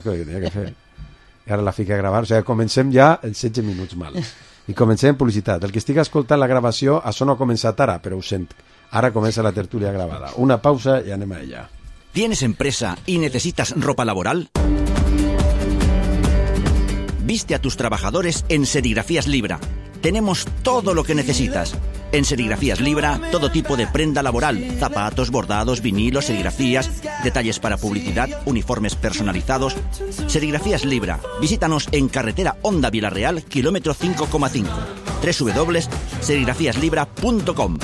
que tenia que fer. I ara la fica a gravar, o sigui, comencem ja els 16 minuts mal. I comencem publicitat. El que estigui escoltant la gravació, això no ha començat ara, però ho sent. Ara comença la tertúlia gravada. Una pausa i anem a ella. ¿Tienes empresa y necesitas ropa laboral? Viste a tus trabajadores en Serigrafías Libra. Tenemos todo lo que necesitas. En Serigrafías Libra, todo tipo de prenda laboral, zapatos, bordados, vinilos, serigrafías, detalles para publicidad, uniformes personalizados. Serigrafías Libra. Visítanos en carretera Honda Vilareal, kilómetro 5,5. www.serigrafiaslibra.com.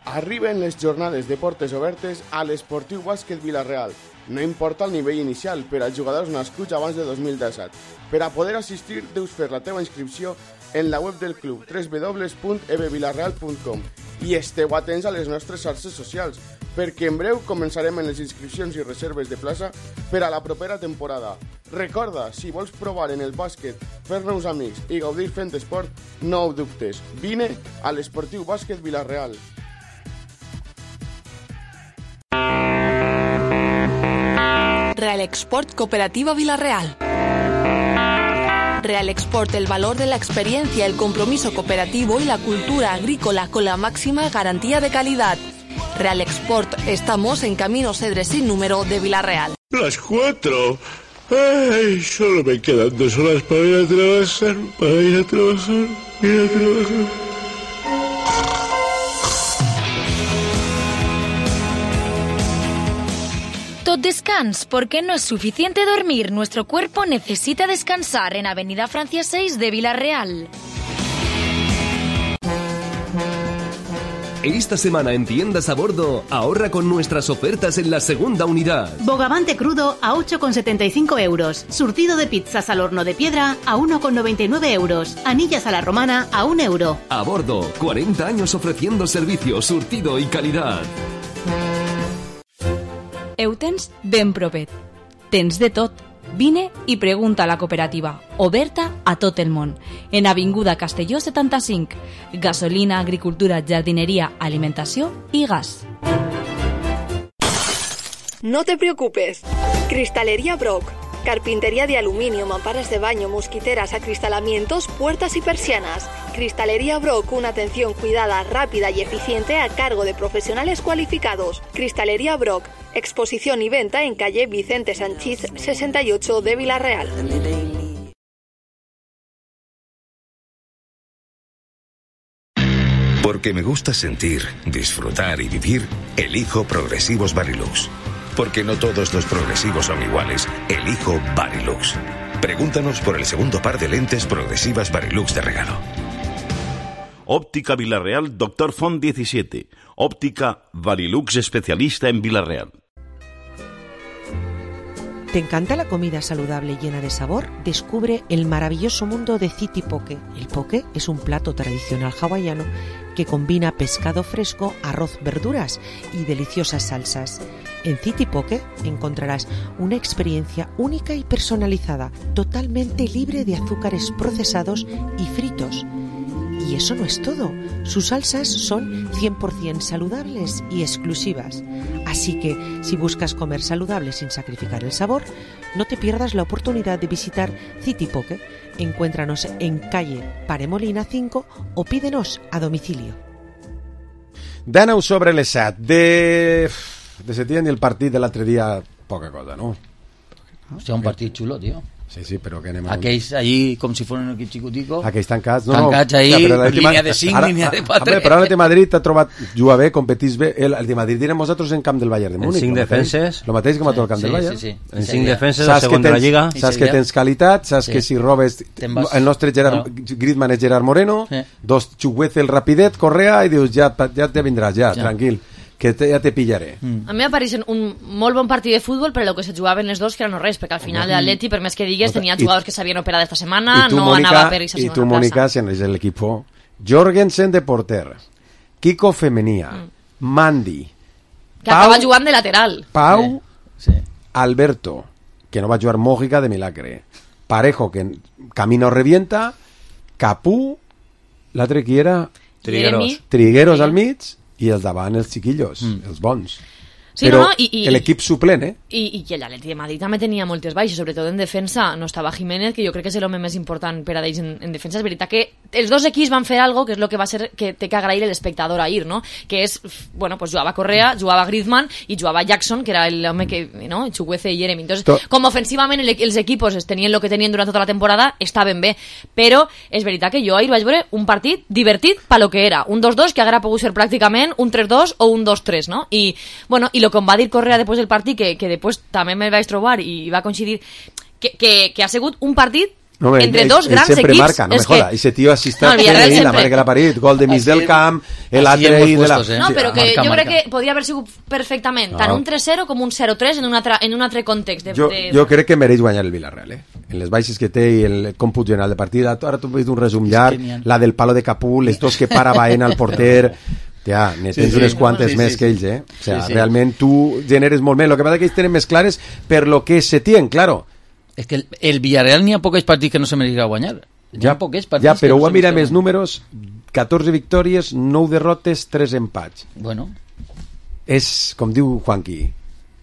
Arriben les jornades de portes obertes a l'Esportiu Bàsquet Vila-real. No importa el nivell inicial per als jugadors nascuts abans de 2017. Per a poder assistir, deus fer la teva inscripció en la web del club www.ebvilarreal.com i esteu atents a les nostres xarxes socials, perquè en breu començarem en les inscripcions i reserves de plaça per a la propera temporada. Recorda, si vols provar en el bàsquet, fer nous amics i gaudir fent esport, no ho dubtes. Vine a l'Esportiu Bàsquet Vila-real. Real Export Cooperativa Vila-real. Real Export, el valor de la experiencia, el compromiso cooperativo y la cultura agrícola con la máxima garantía de calidad. Real Export, estamos en Camino Cedres sin número de Vila-real. Las 4. Ay, solo me quedan 2 horas para ir a trabajar, Tot descans, porque no es suficiente dormir. Nuestro cuerpo necesita descansar en Avenida Francia 6 de Vila-real. Esta semana en Tiendas a Bordo, ahorra con nuestras ofertas en la segunda unidad. Bogavante crudo a 8,75 euros. Surtido de pizzas al horno de piedra a 1,99 euros. Anillas a la romana a 1 euro. A Bordo, 40 años ofreciendo servicio, surtido y calidad. Eutens ben propet. Tens de tot. Vine i pregunta a la cooperativa, oberta a tot el món. En Avinguda Castelló 75. Gasolina, agricultura, jardinería, alimentació i gas. No te preocupes. Cristalería Brock. Carpintería de aluminio, mamparas de baño, mosquiteras, acristalamientos, puertas y persianas. Cristalería Brock, una atención cuidada, rápida y eficiente a cargo de profesionales cualificados. Cristalería Brock, exposición y venta en calle Vicente Sanchís 68 de Vila-real. Porque me gusta sentir, disfrutar y vivir, elijo Progresivos Varilux. Porque no todos los progresivos son iguales, elijo Varilux. Pregúntanos por el segundo par de lentes progresivas Varilux de regalo. Óptica Vila-real, Dr. Font 17. Óptica Varilux, especialista en Vila-real. ¿Te encanta la comida saludable llena de sabor? Descubre el maravilloso mundo de City Poke. El poke es un plato tradicional hawaiano que combina pescado fresco, arroz, verduras y deliciosas salsas. En City Poke encontrarás una experiencia única y personalizada, totalmente libre de azúcares procesados y fritos. Y eso no es todo. Sus salsas son 100% saludables y exclusivas. Así que, si buscas comer saludable sin sacrificar el sabor, no te pierdas la oportunidad de visitar City Poke. Encuéntranos en calle Paremolina 5 o pídenos a domicilio. 19 sobre les 7 de setembre i el partit de l'altre dia, poca cosa, no? Hòstia, un partit xulo, tio. Sí, però que anem a... Aquells allí, com si fossin un equip xicutico. Aquells tancats, no. Tancats ahí, línia de 5, línia de 4. Però l'Atleti Madrid t'ha trobat, juga bé, competís bé. El de Madrid direm nosaltres en camp del Bayern de Múnich. En 5 defenses. Lo mateix que mató el camp del Bayern. Sí. En 5 defenses, el segon de la Lliga. Saps que tens qualitat, saps que si robes... El nostre Griezmann és Gerard Moreno, dos Chukwueze, el rapidet, Correa, i dius, ja te vindràs, ja, tranquil. Que ja te pillaré. A mi m'apareixen un molt bon partit de futbol, però el que se jugaven els dos que era no res, perquè al final l'Atleti, per més que digues, tenien jugadors que s'havien operat esta setmana, no anava per aquesta setmana. I tu, Mónica, si és l'equip Jorgensen de porter, Kiko Femenia, Mandy, que acaba jugant de lateral, Pau, Alberto, que no va jugar Mójica de milagre, Parejo, que camino revienta, Capú, l'altre qui era? Trigueros al mig, i el davant els xiquillos, els bons. Sí, però no, i l'equip suplent, I l'Atleti de Madrid també tenia moltes baixes, sobretot en defensa. No estava Jiménez, que jo crec que és l'home més important per a ells en defensa. És veritat que els dos equips van fer algo que és el que va ser que té que agrair l'espectador ahir, no? Que és, bueno, pues jugava Correa, jugava Griezmann i jugava Jackson, que era l'home que, no? Chukwueze i Jeremy. Entonces, com ofensivament els equipos tenien el que tenien durant tota la temporada, estaven bé. Però és veritat que jo ahir vaig veure un partit divertit pa lo que era. Un 2-2 que haguera pogut ser pràcticament un 3-2 o un 2-3, no? I, bueno, i lo que em va dir Correa després del partit, que després també me'l vaig trobar i va coincidir, que ha sigut un partit entre dos grans equips. Sempre marca, no me joda. Ese tío así está, la marca la pared, gol de mig del camp, el altre i de la... No, però que jo crec que podria haver sigut perfectament tant un 3-0 com un 0-3 en un altre context. Jo crec que mereix guanyar el Villarreal, en les baixes que té i el còmput general de partida. Ara tu veus un resum llarg, la del palo de Capú, les dos que para Baena al porter... Ja, ne tens unes quantes més que ells, O sea, realment tu generes molt més. Lo que passa que ells tenen més clares per lo que se tien, claro. És que el Villarreal n'hi ha pocs partits que no se mereixi guanyar. Ja, però ho mira més números, 14 victòries, 9 derrotes, 3 empats. Bueno. És, com diu Juanqui,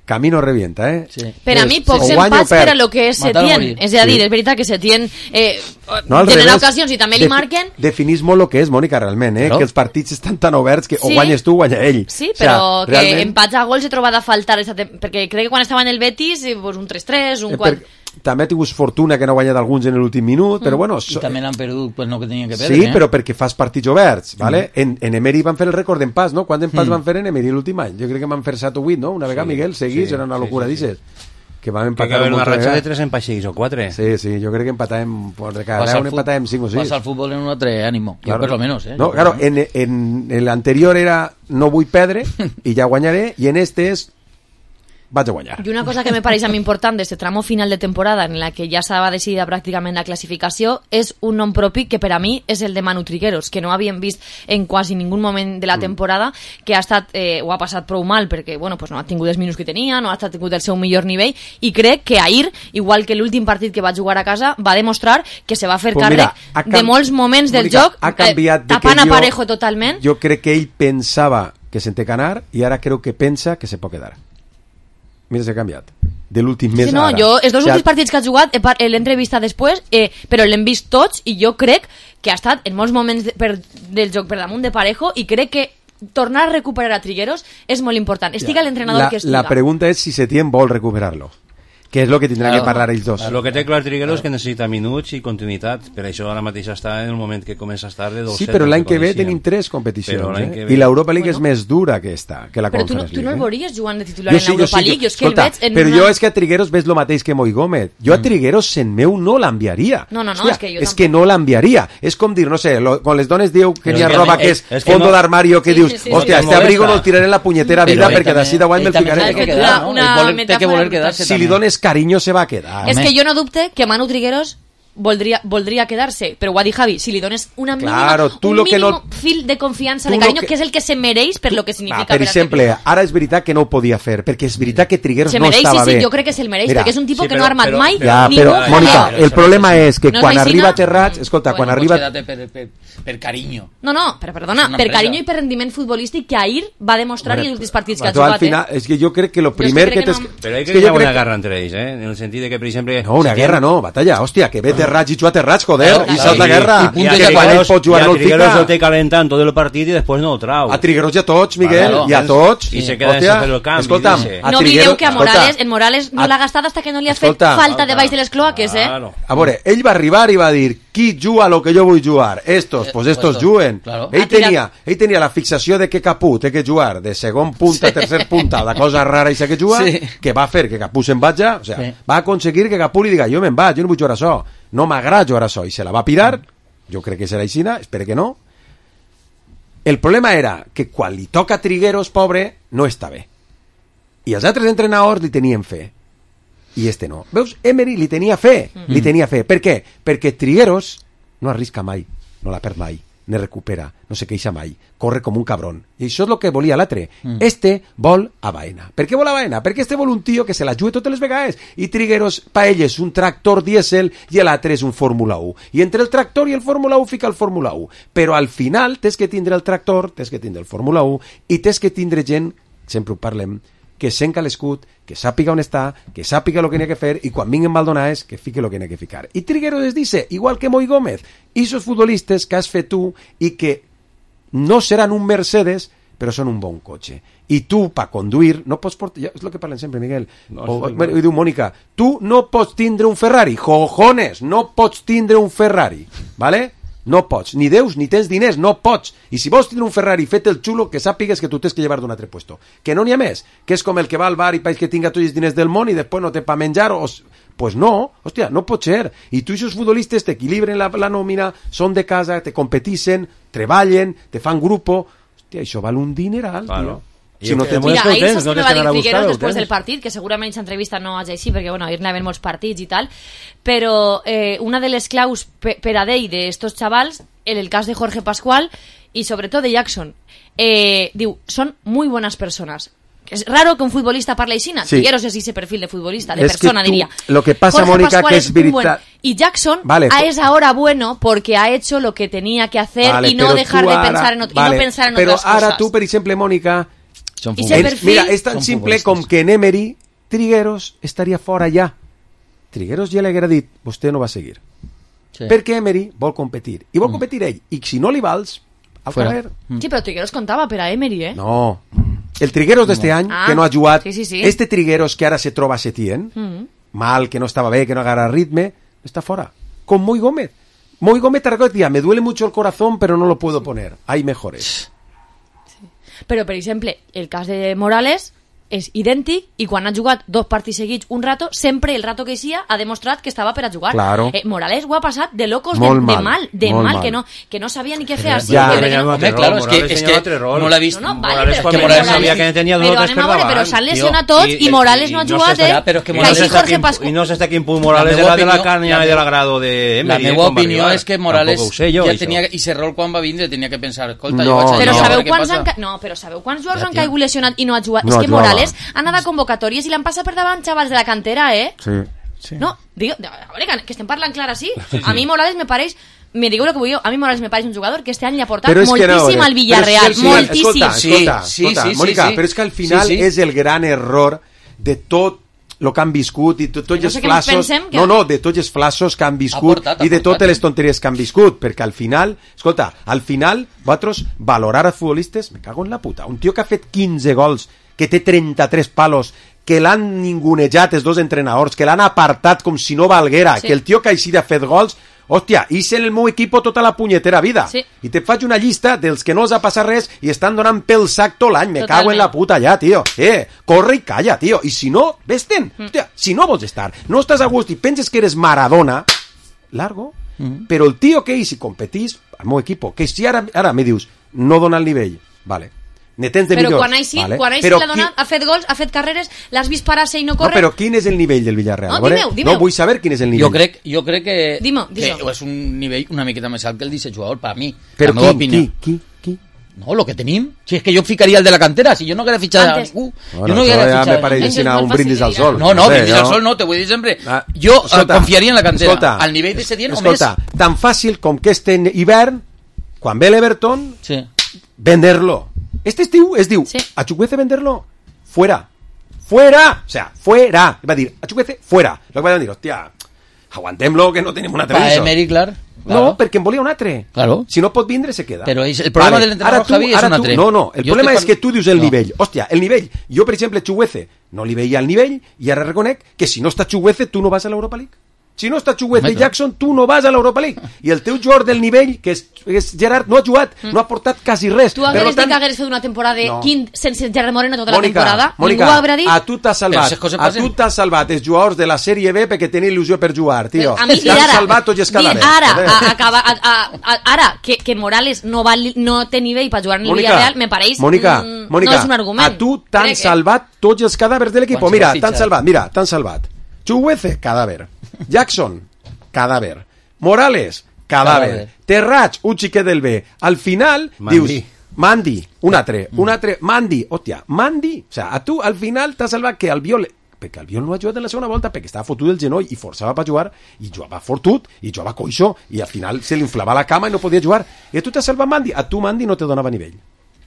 camino revienta, Sí. Per a mi, pocs empats per a lo que és Setién. És a dir, és veritat que Setién genera ocasions i també li marquen. Definís molt el que és, Mònica, realment, que els partits estan tan oberts que o guanyes tu o guanya ell. Sí, però que empats a gols he trobat a faltar, perquè crec que quan estava en el Betis, un 3-3, un 4... També ha tingut fortuna que no ha guanyat alguns en l'últim minut, però bueno... I també l'han perdut, pues no que tenien que perdre. Sí, però perquè fas partits oberts, ¿vale? En Emery van fer el rècord d'empats, no? Quants empats van fer en Emery l'últim any? Jo crec que van fer 7 o 8, no? Una vegada, Miguel, seguís, era una locura, dices. Que vam empatar... Que va haver una ratxa de 3 empats seguís, o 4. Sí, jo crec que empatàvem... De cada un empatàvem 5 o 6. Pasa al fútbol en un altre ànimo, jo per lo menos, No, claro, en l'anterior era no vull perdre i ja guanyaré, i en este és vaig a guanyar. I una cosa que me pareix a mi important d'aquest tramo final de temporada en la que ja estava decidida pràcticament la classificació és un nom propi que per a mi és el de Manu Trigueros, que no havíem vist en quasi ningú moment de la temporada, que ha estat, ho ha passat prou mal perquè bueno, pues no ha tingut els minuts que tenia, no ha tingut el seu millor nivell, i crec que ahir, igual que l'últim partit que va jugar a casa, va demostrar que se va fer càrrec de molts moments del joc, tapant a Parejo totalment. Jo crec que ell pensava que se'n té que anar i ara crec que pensa que se pot quedar. Mira, s'ha canviat. De l'últim mes ara. Jo, els dos últims partits que ha jugat l'he entrevistat després, però l'hem vist tots i jo crec que ha estat en molts moments del joc per damunt de Parejo i crec que tornar a recuperar a Trigueros és molt important. Estiga l'entrenador que estiga. La pregunta és si Setién vol recuperar-lo. Que és el que tindran que parlar ells dos. El que té clar Trigueros és que necessita minuts i continuïtat, per això ara mateix està en el moment que comença a estar de 2-7. Sí, però l'any que ve tenim 3 competicions, i l'Europa League és més dura que la Conference League. Però tu no el veuries jugant de titular en l'Europa League? Escolta, però jo és que a Trigueros ves el mateix que Moi Gómez. Jo a Trigueros en meu no l'enviaria. No, és que no l'enviaria. És com dir, no sé, quan les dones diu que n'hi ha roba que és fondo d'armario, que dius, hòstia, este abrigo no el tiraré en la punyetera vida perquè d'ací de guany me'l ficaré. Si li dones carinyo se va a quedar. És que jo no dubte que Manu Trigueros voldria quedar-se, però ho ha dit Javi, si li dones un mínim fil de confiança, de carinyo, que és el que se mereix per lo que significa. Per exemple, ara és veritat que no ho podia fer, perquè és veritat que Trigueros no estava bé. Sí, jo crec que se'l mereix, perquè és un tipus que no ha armat mai. Però, Mònica, el problema és que quan arriba a Terrats, escolta, quan arriba... Per carinyo. No, però perdona, per carinyo i per rendiment futbolístic que ahir va demostrar i els últims partits que ha jugat. És que jo crec que lo primer que... Però que hi ha una guerra entre ells, en el sentit de que, per exemple... No, una guerra no, batalla, hòstia, que ve Terrats i juga Terrats, joder, i saps la guerra. I quan ell pot jugar no el fica. Trigueros el té calentant tot el partit i després no el trau. A Trigueros i a tots, Miguel, i a tots. I se queda sense fer el canvi. Escolta'm, no oblideu que a Morales no l'ha gastat hasta que no li ha fet falta de baix de les cloaques, A veure, ell va arribar i va dir qui juga lo que jo vull jugar? Estos juguen. Ell tenia la fixació de que Capú té que jugar de segon punta a tercer punta, la cosa rara i sé que juga, que va fer que Capú se'n vaja, o sea, va aconseguir que Capú li diga jo me'n vaig, jo no vull jugar això, no m'agrada jugar això, i se la va pirar, jo crec que serà aixina, espero que no. El problema era que quan li toca a Trigueros, pobre, no està bé. I els altres entrenadors li tenien fe. I este no. Veus? Emery li tenia fe. Per què? Perquè Trigueros no arrisca mai, no la perd mai, ne recupera, no se queixa mai, corre com un cabron. I això és el que volia l'altre. Este vol a Baena. Per què vol a Baena? Perquè este vol un tio que se la jugui totes les vegades. I Trigueros, pa ell és un tractor dièsel i l'altre és un Fórmula 1. I entre el tractor i el Fórmula 1 fica el Fórmula 1. Però al final tens que tindre el tractor, tens que tindre el Fórmula 1 i tens que tindre gent, sempre ho parlem, que senca l'escut, que sàpiga on està, que sàpiga el que n'hi ha que fer i quan vinguen Maldonades que fique el que n'hi ha que ficar. I Trigueros es dice, igual que Moi Gómez, i esos futbolistes que has fet tu i que no seran un Mercedes, però són un bon cotxe. I tu, per conduir, no pots portar... És el que parlen sempre, Miguel. I diu, Mònica, tu no pots tindre un Ferrari. Cojones, no pots tindre un Ferrari. ¿Vale? No pots. Ni deus, ni tens diners, no pots. I si vols tindre un Ferrari fet el xulo, que sàpigues que tu tens que llevar d'un altre puesto. Que no n'hi ha més. Que és com el que va al bar i país que tinga tots els diners del món i després no té pa menjar o... Pues no, hòstia, no pot ser. I tu i els futbolistes t'equilibren la nòmina, són de casa, te competixen, treballen, te fan grupo... Hòstia, això val un dineral, tio. Si no mira, ahir saps què va dir Figueros després del partit, que segurament aquesta entrevista no és així, perquè bueno, ahir n'hi havia molts partits i tal, però una de les claus per a d'ell d'estos xavals, en el cas de Jorge Pascual i sobretot de Jackson, diu, són muy buenas personas. Es raro que un futbolista parle així, Figueros és ese perfil de futbolista, de persona, diría. Lo que pasa, Mónica, que es veritat... Y Jackson es ahora bueno porque ha hecho lo que tenía que hacer y no dejar de pensar en otras cosas. Pero ahora tú, per exemple, Mónica, mira, és tan simple com que en Emery Trigueros estaria fora ja. Trigueros ja li haguera dit, vostè no va seguir. Perquè Emery vol competir. I vol competir ell. I si no li vals, al carrer. Sí, però Trigueros contava per a Emery, No. El Trigueros d'este any, que no ha jugat, este Trigueros que ara se troba a Setién, mal, que no estava bé, que no agarra ritme, està fora. Con Moi Gómez. Moi Gómez te recuerda, me duele mucho el corazón, pero no lo puedo poner. Hay mejores. Però, per exemple, el cas de Morales és idèntic i quan ha jugat 2 partits seguits un rato, sempre el rato que sia ha demostrat que estava per a jugar. Claro. Morales ho ha passat de locos, de mal, que no sabia ni què fer així. Claro, es que no l'ha vist. Morales quan Morales sabia que tenia dos per davant. Però s'han lesionat tots i Morales no ha jugat, I no sé hasta quin punt Morales era de la carnia i de l'agrado de Emery. La meva opinió és que Morales ja tenia, i Serrol quan va vindre tenia que pensar, escolta, jo vaig a però sabeu quants jugadors han caigut lesionat i no ha jugat? És que Morales ha anat a convocatòries i l'han passat per davant xavals de la cantera, Sí. No, digo, a veure, que estem parlant clar així. A mi Morales me pareix, me digueu el que vulgueu, a mi Morales me pareix un jugador que este any li ha portat moltíssim al Villarreal, moltíssim. Escolta, Mónica, però és que al final és el gran error de tot el que han viscut i tots els flassos de tots els flassos que han viscut i de totes les tonteries que han viscut, perquè al final vosaltres valorar els futbolistes, me cago en la puta, un tio que ha fet 15 gols, que té 33 palos, que l'han ningunejat els dos entrenadors, que l'han apartat com si no valguera, que el tio que així ha fet gols, hòstia, hice en el meu equip tota la punyetera vida. I te faig una llista dels que no els ha passat res i estan donant pel sac tot l'any. Me cago en la puta ja, tio. Corre i calla, tio. I si no, vés-te'n. Hòstia, si no vols estar, no estàs a gust i penses que eres Maradona, largo. Però el tio que si competís, al meu equip, que si ara me dius, no dona el nivell, vale. Però quan així l'ha donat, ha fet gols, ha fet carreres, l'has vist parar-se i no corre... No, però quin és el nivell del Villarreal? Dimeu. No, vull saber quin és el nivell. Jo crec que és un nivell una miqueta més alt que el d'aquest jugador, per mi. Però qui? No, lo que tenim. Si és que jo ficaria el de la cantera, si jo no haguera fitxat a ningú. Bueno, jo no haguera fitxat. Me pareix un brindis al sol. No, brindis al sol no, te vull dir sempre. Jo confiaria en la cantera. Al nivell de Setién o més. Escolta, tan fàcil com que este hivern, quan ve l'Everton, venderlo. Este estiu es diu, a Chukwueze venderlo, fuera, o sea, fuera, va a dir, a Chukwueze, fuera, lo que van a dir, hostia, aguantem-lo que no tenim un altre viso. Emery, clar. No, perquè en volia un altre. Claro. Si no pot vindre, se queda. Però el problema del entrenador Javi és un altre. No, el problema és que tu dius el nivell. Hòstia, el nivell. Jo, per exemple, Chukwueze no li veia el nivell i ara reconec que si no està Chukwueze, tu no vas a l'Europa League. Si no està Chukwueze i Jackson, tu no vas a l'Europa League. I el teu jugador del nivell, que és Gerard, no ha jugat, no ha portat quasi res. Tu hagueres dit que hagueres fet una temporada sense Gerard Moreno tota la temporada? Mónica, a tu t'has salvat els jugadors de la Sèrie B perquè tenen il·lusió per jugar, tio. T'han salvat tots els cadàvers. Ara, que Morales no té nivell per jugar en el Villarreal, me pareix no és un argument. A tu t'han salvat tots els cadàvers de l'equip. Mira, t'han salvat. Chukwueze, cadàver. Jackson, cadàver. Morales, cadàver. Terrats, un xiquet del B. Al final, dius, Mandi, un altre, Mandi, hòstia, Mandi. O sea, a tu al final t'ha salvat que Albiol, perquè Albiol no ha jugat en la segona volta perquè estava fotut del genoll i forçava per jugar i jugava fortut i jugava coixo i al final se li inflava la cama i no podia jugar. I a tu t'ha salvat Mandi, a tu Mandi no te donava nivell.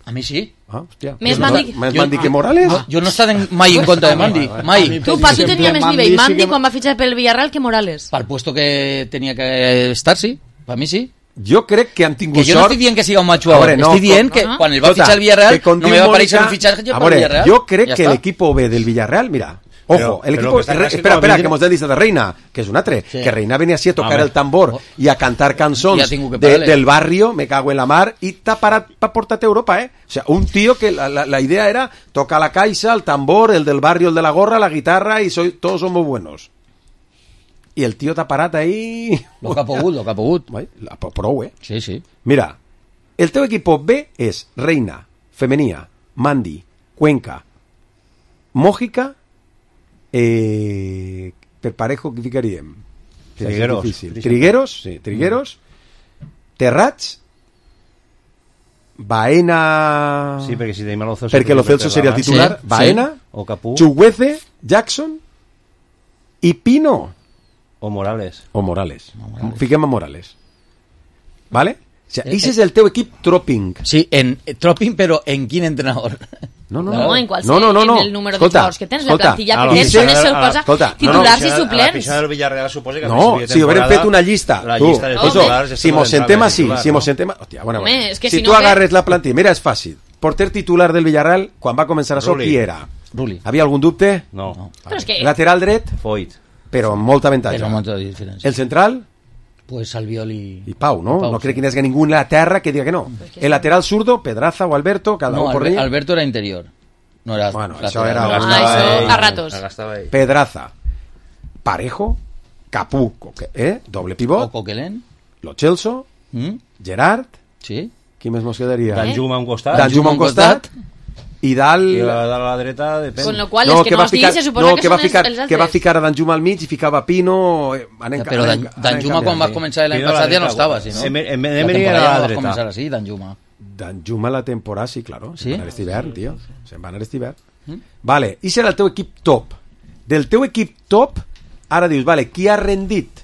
A mi sí. Hòstia. Més Mandi que Morales? Jo no he estat mai en contra de Mandi, mai. Tu, Paco, tenia més nivell Mandi quan va fitxar pel Villarreal que Morales. Per puesto que tenia que estar, sí. Per mi sí. Jo crec que han tingut sort... Que jo no estic dient que siga un macho ahora, no, estic dient que quan el va fitxar el Villarreal no me va aparèixer un fitxatge per el Villarreal. Jo crec que l'equip B del Villarreal, mira, ojo, el equipo... Espera, que hemos dit de Reina, que és un altre, que Reina venia así a tocar el tambor i a cantar cançons del barrio, me cago en la mar, i t'ha parat per portar-te a Europa, O sea, un tío que la idea era tocar la caixa, el tambor, el del barrio, el de la gorra, la guitarra, y todos somos buenos. I el tio t'ha parat ahí... Lo que ha pogut. Prou, Sí, sí. Mira, el teu equip B és Reina, Femenia, Mandi, Cuenca, Mójica, per Parejo, què ficaríem? Trigueros, Terrats, Baena... Sí, perquè si tenim Lo Celso... Perquè Lo Celso seria el titular. Sí, Baena, o Capú, Chuguece, Jackson i Pino. O Morales. Fiquem a Morales. ¿Vale? O sea, ese és el teu equip Tropping. Sí, en Tropping, però en quin entrenador? No, en qualsevol, en el número de jugadors que tens, la plantilla que tens, on es posa titulars i suplents. La pista del Villarreal suposa que... No, si haurem fet una llista. Si mos sentem així, Hòstia, bueno, si tu agarres la plantilla, mira, és fàcil. Porter titular del Villarreal, quan va començar això, qui era? Rulli. Havia algun dubte? No. Lateral dret? Foyt. Però amb molta avantatge. El central? Pues Albiol y Pau, ¿no? No creo que haya ningún en la tierra que diga que no. El lateral zurdo, Pedraza o Alberto, cada uno por ahí. Alberto era interior. No era. Bueno, eso era a ratos. Pedraza, Parejo, Capú, doble pivot. O Coquelin. Lo Celso, Gerard. Sí. Qui més mos quedaria? Danjuma a un costat. I dalt... I a la dreta depèn. Con lo qual, és que no els dius, se suposa que són els altres. Que va ficar a Danjuma al mig i ficava Pino... Però Danjuma quan va començar l'any passat ja no estava, si no? Emery era a la dreta. Va començar així, Danjuma. Danjuma la temporada, sí, claro. Se'n va anar este hivern, tio. Se'n va anar este hivern. Vale, i serà el teu equip top. Del teu equip top, ara dius, vale, qui ha rendit?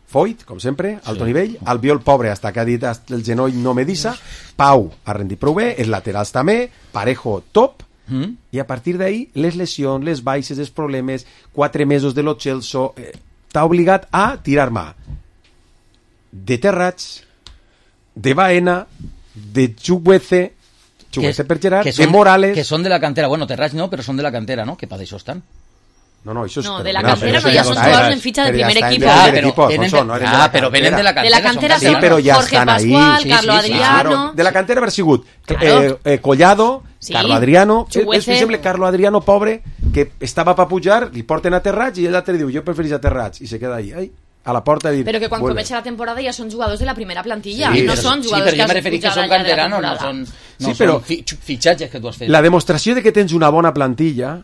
Foyt, com sempre, alto nivell. Albiol, pobre, hasta que ha dit el genoll no me disa. Pau ha rendit prou bé, els laterals també. Parejo, top. I a partir d'ahí, les lesions, les baixes, els problemes, 4 mesos de Lo Celso, t'ha obligat a tirar mà de Terrats, de Baena, de Chuguece per Gerard, de Morales... Que són de la cantera. Bueno, Terrats no, però són de la cantera, no? Que per això estan. No, això és... No, de la cantera no, ja són jugadors en fitxa del primer equip. Però venen de la cantera. De la cantera sí, però ja Jorge estan ahí. Pascual, Carlo Adriano... De la cantera haver sigut Collado, Carlo Adriano... És, per exemple, Carlo Adriano, pobre, que estava per pujar, li porten a Terrats i l'altre diu, jo preferís a Terrats, i se queda ahí, a la porta dir... Però que quan comença la temporada ja són jugadors de la primera plantilla, no són jugadors que has pujat que són canteranos, no són fitxatges que tu has fet. La demostració de que tens una bona plantilla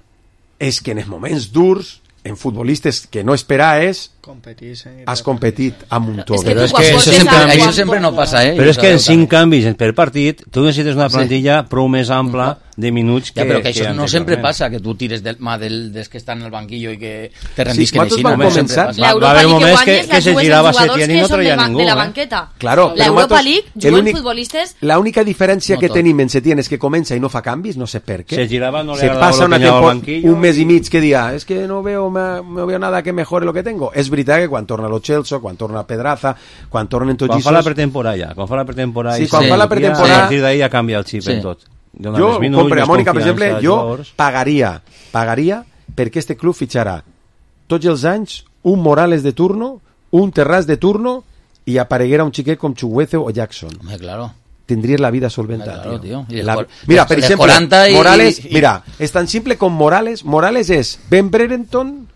és que en els moments durs, en futbolistes que no esperaves, has competit amb un tot. Però és que això sempre no passa, Però és que en 5 canvis per partit, tu necessites una plantilla prou més ampla de minuts que... Però que això no sempre passa, que tu tires del mà dels que estan al banquillo i que te rendisquen així. Va haver moments que se girava Setién i no traia ningú. De la banqueta. Claro, L'Europa League juguen futbolistes... L'única diferència que tenim en Setién és que comença i no fa canvis, no sé per què. Se girava, no se passa un mes i mig que dia, es que no veo nada que mejore lo que tengo. És veritat que quan torna Lo Celso, quan torna Pedraza, quan tornen tots quan fa la pretemporada, quan fa la pretemporada, a partir d'ahí ja canvia el xip en tot. Jo, compre a Mònica, per exemple, jo pagaria perquè este club fitxarà tots els anys un Morales de turno, un Terrats de turno i apareguera un xiquet com Chuguece o Jackson. Claro. Tindries la vida solventada, claro, tío. Mira, per exemple, Morales, mira, és tan simple com Morales és Ben Brereton,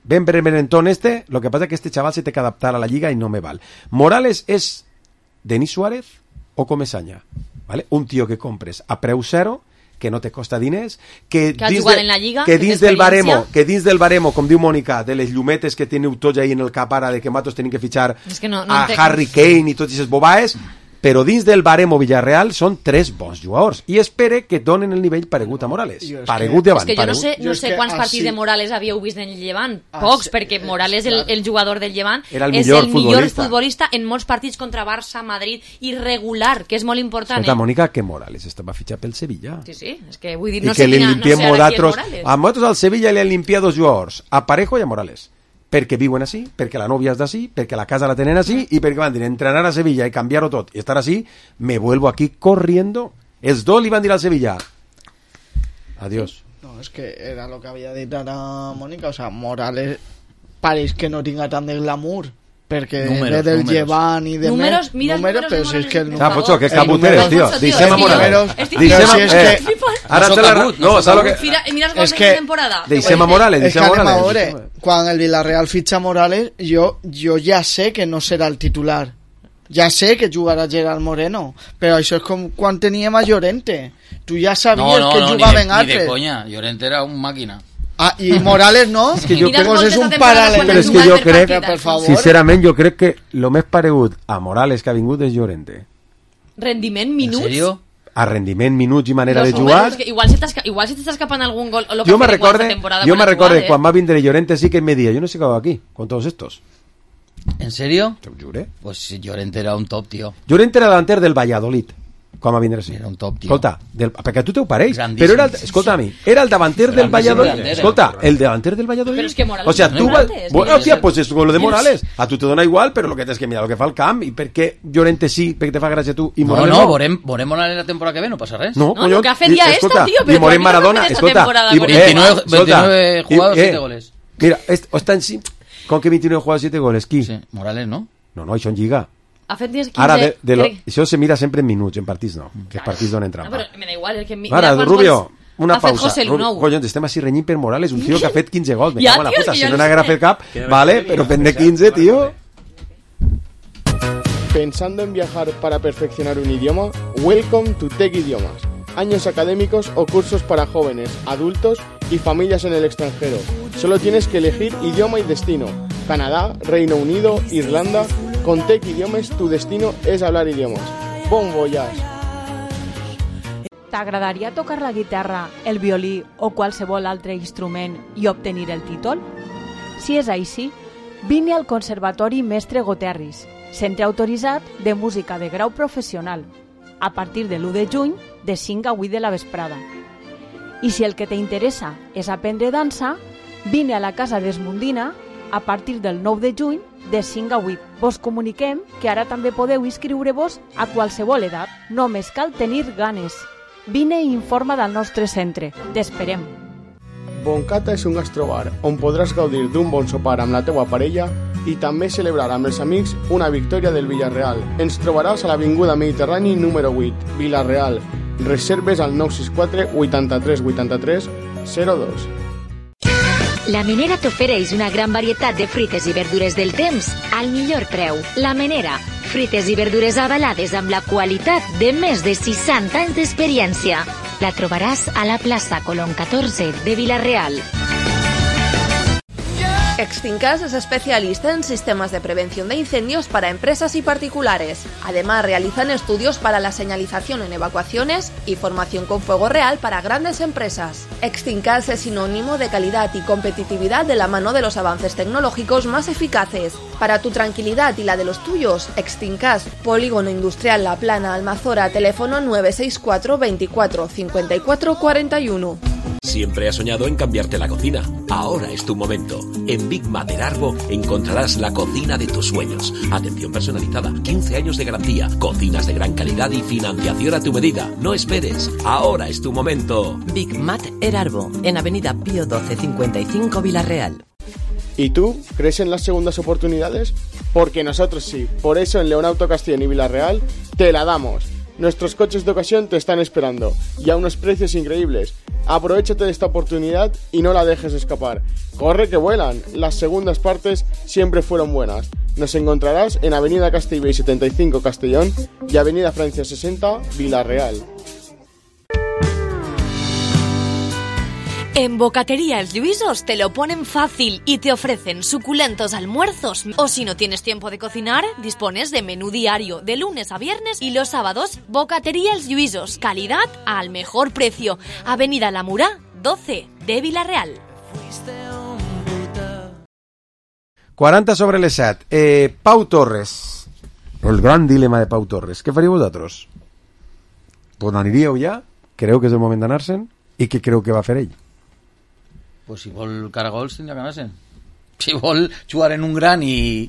lo que pasa es que este chaval se tiene que adaptar a la liga y no me vale. Morales es Denis Suárez o Comesaña, ¿vale? Un tío que compres a preu cero, que no te costa diners, que dins del baremo, com diu Mònica, de les llumetes que teniu tots ahí en el cap ara, de que matos tenen que fitxar a Harry Kane i tots aquestes bobaes, però dins del baremo Villarreal són 3 bons jugadors i espere que donen el nivell paregut a Morales. Paregut davant. És que jo no sé quants partits de Morales havíeu vist en el Llevant. Pocs, perquè Morales, el jugador del Llevant, és el millor futbolista en molts partits contra Barça, Madrid, irregular, que és molt important. Escolta, Mònica, que Morales estava fitxat pel Sevilla. Sí, és que vull dir, no sé quina, no sé ara qui és Morales. A nosaltres al Sevilla li han limpiat 2 jugadors, a Parejo i a Morales. Perquè viuen així, perquè la novia és d'ací, perquè la casa la tenen així i perquè van dir entrenar a Sevilla i canviar-ho tot i estar així, me vuelvo aquí corriendo. Els dos li van dir al Sevilla adiós. No, és que era lo que havia dit ara Mònica, o sea, Morales pareix que no tinga tant de glamour perquè ve del Llevant i de números, mira números, però si és que el número... Pocho, que caputeres, tío. Deixem a Morales. Ara te la... No, saps lo que... Mira els gols de temporada. Deixem a Morales, deixem a Morales. Quan el Villarreal fitxa Morales, jo ja sé que no serà el titular. Ja sé que jugarà Gerard Moreno, però això és com quan teníem a Llorente. Tu ja sabies que jugaven altres. Ni de conya, Llorente era un màquina. Ah, i Morales no? Es que yo creo que es un paral·lel. Però és que jo crec, sincerament, jo crec que el més paregut a Morales que ha vingut és Llorente. Rendiment, minuts? En sèrio? A rendiment, minuts i manera de jugar. Igual si t'està escapant algun gol o lo que jo me recorde quan va vindre Llorente sí que me dia, yo no sé qué hago aquí con todos estos. ¿En serio? Te ho jure. Pues Llorente era un top, tío. Llorente era delanter del Valladolid. Com a vindre així. Era un top, tio. Escolta, perquè a tu t'ho pareix, però era escolta a mi, era el davanter del Valladolid. Escolta, el davanter del Valladolid. Però és que Morales, o sea, tu bueno, tía, pues es lo de Morales. A tu te dona igual, però lo que tens que mirar lo que fa el camp i per què Llorente sí, perquè te fa gràcia tu i Morales no. Veurem Morales la temporada que ve, no passa res. No, lo que ha fet ja esto, tío, però Morem Maradona, escolta, 29 jugados, 7 goles. Mira, estan con que 29 jugados, 7 goles, qui? Sí, Morales, no? No, això en Lliga. Ha fet 15... Ara, això se mira sempre en minuts, en partits no, que els partits donen trampa. No, però me da igual, és que... Ara, Rubio, una pausa. Collons, estem així renyint per Morales, un tio que ha fet 15 gols. Me cago en la puta, si no n'haguera fet cap, vale, però fent de 15, tío. ¿Pensando en viajar para perfeccionar un idioma? Welcome to Tech Idiomas. Años académicos o cursos para jóvenes, adultos y familias en el extranjero. Solo tienes que elegir idioma y destino. Canadá, Reino Unido, Irlanda... Con Tech Idiomes, tu destino és hablar idiomes. Bon voyage! T'agradaria tocar la guitarra, el violí o qualsevol altre instrument i obtenir el títol? Si és així, vine al Conservatori Mestre Goterris, centre autoritzat de música de grau professional, a partir de l'1 de juny de 5 a 8 de la vesprada. I si el que t'interessa és aprendre dansa, vine a la Casa d'Esmundina a partir del 9 de juny de 5 a 8. Vos comuniquem que ara també podeu inscriure-vos a qualsevol edat. Només cal tenir ganes. Vine i informa del nostre centre. T'esperem. Boncata és un gastrobar on podràs gaudir d'un bon sopar amb la teua parella i també celebrar amb els amics una victòria del Villarreal. Ens trobaràs a l'Avinguda Mediterrani número 8, Villarreal. Reserves al 964 83 83 02. La Menera t'ofereix una gran varietat de fruites i verdures del temps al millor preu. La Menera, fruites i verdures avalades amb la qualitat de més de 60 anys d'experiència. La trobaràs a la plaça Colón 14 de Villarreal. Extincas es especialista en sistemas de prevención de incendios para empresas y particulares. Además, realizan estudios para la señalización en evacuaciones y formación con fuego real para grandes empresas. Extincas es sinónimo de calidad y competitividad de la mano de los avances tecnológicos más eficaces. Para tu tranquilidad y la de los tuyos, Extincas, Polígono Industrial La Plana, Almazora, teléfono 964 24 54 41. Siempre has soñado en cambiarte la cocina. Ahora es tu momento. En Big Mater Arbo encontrarás la cocina de tus sueños. Atención personalizada, 15 años de garantía, cocinas de gran calidad y financiación a tu medida. No esperes. Ahora es tu momento. Big Mater Arbo, en Avenida Pío 12 55 Villarreal. ¿Y tú? ¿Crees en las segundas oportunidades? Porque nosotros sí. Por eso en Leonauto Castellón y Villarreal te la damos. Nuestros coches de ocasión te están esperando y a unos precios increíbles. Aprovechate de esta oportunidad y no la dejes escapar. Corre que vuelan, las segundas partes siempre fueron buenas. Nos encontrarás en Avenida Castellbell 75 Castellón y Avenida Francia 60 Villarreal. En Bocatería El Lluisos te lo ponen fácil y te ofrecen suculentos almuerzos. O si no tienes tiempo de cocinar, dispones de menú diario de lunes a viernes y los sábados. Bocatería El Lluisos, calidad al mejor precio. Avenida La Murá, 12 de Vila-real. 40 sobre les 7. Pau Torres. El gran dilema de Pau Torres. Què faríeu vosaltres? Pues n'aniríeu ja? Creu que és el moment d'anar-se'n? I què creu que va fer ell? Pues si vol caragols tindrà que anar-se'n. Si vol jugar en un gran i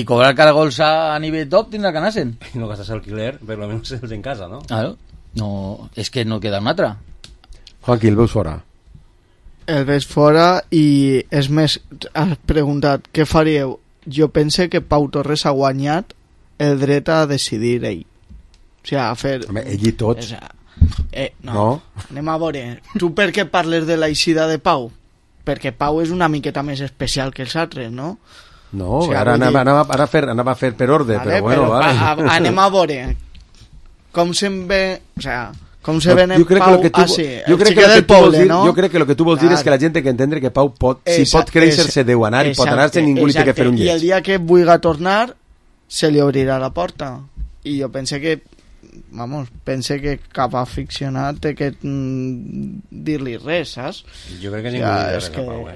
cobrar caragols a nivell top tindrà que anar-se'n. I no gastes alquiler, per lo menos els en casa, no? Claro. No, és que no queda una altra. Juanqui, el veus fora? El veig fora i és més, has preguntat què faríeu? Jo pense que Pau Torres ha guanyat el dret a decidir ell. O sigui, a fer... Home, ell i tots. No. Anem a veure. Tu per què parles de l'eixida de Pau? Perquè Pau és una miqueta més especial que els altres, no? No, o sigui, ara anava a fer per ordre, vale, però bueno, vale. Anem a veure com se'n ve, o sea, com se ven en Pau així, el xiquet del poble, no? Jo crec que el que tu vols dir és que la gent té que entendre que Pau pot, si pot créixer-se deu anar i pot anar-se, ningú li té que fer un lleig. I el dia que vulgui tornar se li obrirà la porta. I jo pense que cap aficionat té que dir-li res, saps? Jo crec que ningú li dirà res a Pau,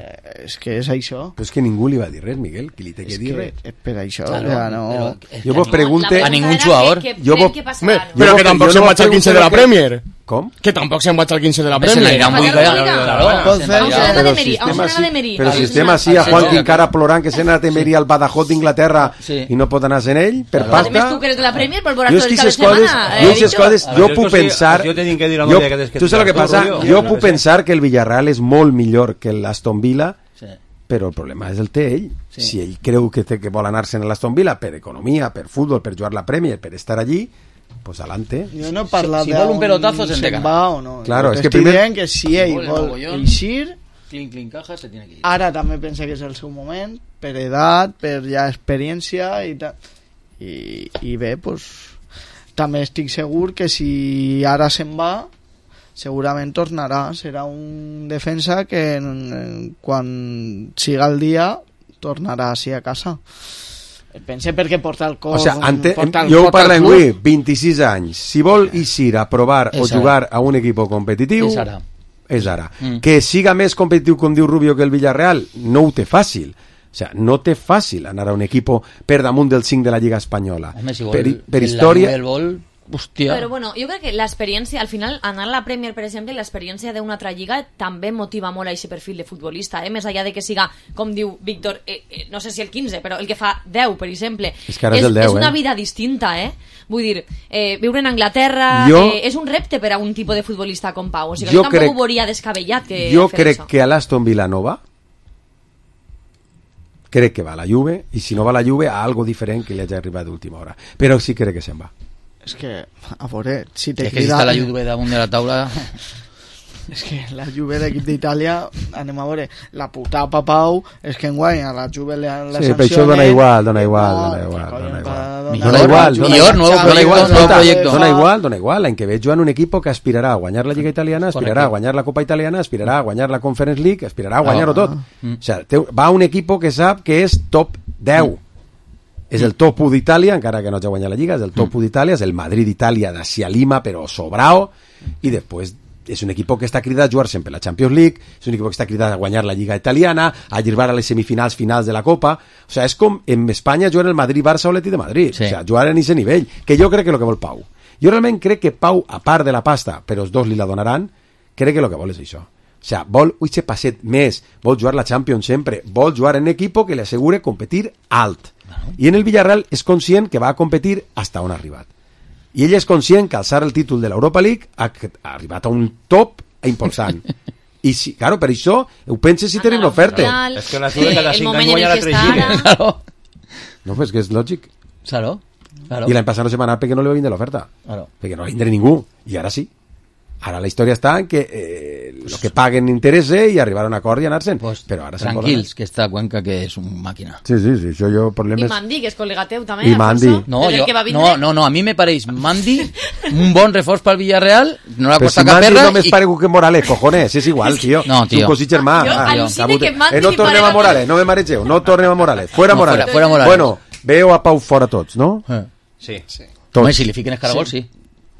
És que és això. Però és que ningú li va dir res, Miguel, qui li té que dir res. És per això, no... Jo vos pregunte... A ningú jugador. Però que tampoc se'n vaig al 15 de la Premier. Com? Que tampoc se'n vaig al 15 de la Premier. Se n'anirà molt Però si estem així a Juanqui encara plorant que se n'ha de Emery al Badajoz d'Inglaterra i no pot anar-se'n ell, per pasta... A més, tu que eres de la Premier, per veure tot el cap de setmana. Jo puc pensar... Tu saps el que passa? Jo puc pensar que el Villarreal és molt millor que l'Aston Villa, però el problema és el té ell. Si ell creu que vol anar-se'n a l'Aston Villa per economia, per futbol, per jugar la Premier, per estar allí, pues adelante. Jo no he parlat si vol un pelotazo se'n va o no. Claro, és que primer que si ell vol eixir, clink caja se tiene que ir. Ara també pensa que és el seu moment, per edat, per ja experiència i tal. I bé, pues també estic segur que si ara se'n va segurament tornarà, serà un defensa que quan siga el dia tornarà així a casa. Pense perquè porta el cos... O sigui, jo ho parlo en avui, 26 anys. Si vol eixir a provar o jugar a un equip competitiu, és ara. Que siga més competitiu, com diu Rubio, que el Villarreal, no ho té fàcil. O sea, no té fàcil anar a un equip per damunt del 5 de la Lliga Espanyola. Home, si vol, per història... Hòstia. Però bueno, jo crec que l'experiència, al final, anar a la Premier, per exemple, l'experiència d'una altra lliga també motiva molt a aquest perfil de futbolista, més allà de que siga, com diu Víctor, no sé si el 15, però el que fa 10, per exemple. És que ara és el 10, és una vida distinta, Vull dir, viure en Anglaterra és un repte per a un tipus de futbolista com Pau. O sigui, jo tampoc ho veuria descabellat que jo crec que a l'Aston Villa no va. Crec que va a la Juve, i si no va a la Juve, a algo diferent que li hagi arribat d'última hora. Però sí crec que se'n va. És que, a veure, si te crida... És que si està la Juve damunt de la taula... És que la Juve d'equip d'Itàlia, anem a veure, la puta Pau és que enguany a la Juve la sí, però això dona igual. Dona igual. L'any que ve jugant un equip que aspirarà a guanyar la Lliga Italiana, aspirarà a guanyar la Copa Italiana, aspirarà a guanyar la Conference League, aspirarà a guanyar-ho tot. O sigui, va un equip que sap que és top 10. És el top 1 d'Itàlia, encara que no hagi guanyat la Lliga, és el top 1 d'Itàlia, és el Madrid d'Itàlia d'Asia Lima, però sobrao, i després és un equip que està cridat a jugar sempre la Champions League, és un equip que està cridat a guanyar la Lliga Italiana, a arribar a les semifinals finals de la Copa. O sigui, és com en Espanya juguen el Madrid-Barça o l'Atlètic de Madrid, o sigui, jugar en aquest nivell, que jo crec que és el que vol Pau. Jo realment crec que Pau, a part de la pasta, però els dos li la donaran, crec que el que vol és això. O sigui, vol un passet més, vol jugar la Champions sempre, vol jugar en un equip que li assegure competir alt. I en el Villarreal és conscient que va a competir hasta on ha arribat. I ell és conscient que alçar el títol de l'Europa League ha arribat a un top important. I si, claro, per això ho penses si tenim l'oferta. És que la Juve cada 5 anys guanya la 3 lligues. No, pues que és lògic. Claro. I l'any passat no se va anar perquè no li va vindre l'oferta. Claro. Perquè no va vindre ningú. I ara sí. Ara la història està en que lo que paguen interessa i arribar a un acord i anar-se'n. Però ara tranquils, que està Cuenca que és una màquina. Sí, això jo problemes... I Mandi, que és col·lega teu també. I Mandi. No, a mi me pareix Mandi un bon reforç pel Villarreal, no la costa si cap perra... Mandi només parego que Morales, cojones, és igual, tio. No, tio. És un cosí germà. Jo al·lucine que Mandi no tornem a Morales, no me maregeu, no tornem a Morales. Fuera Morales. Fuera Morales. Bueno, veo a Pau fora tots, no? Sí. Home, si li fiquen els caragols, sí.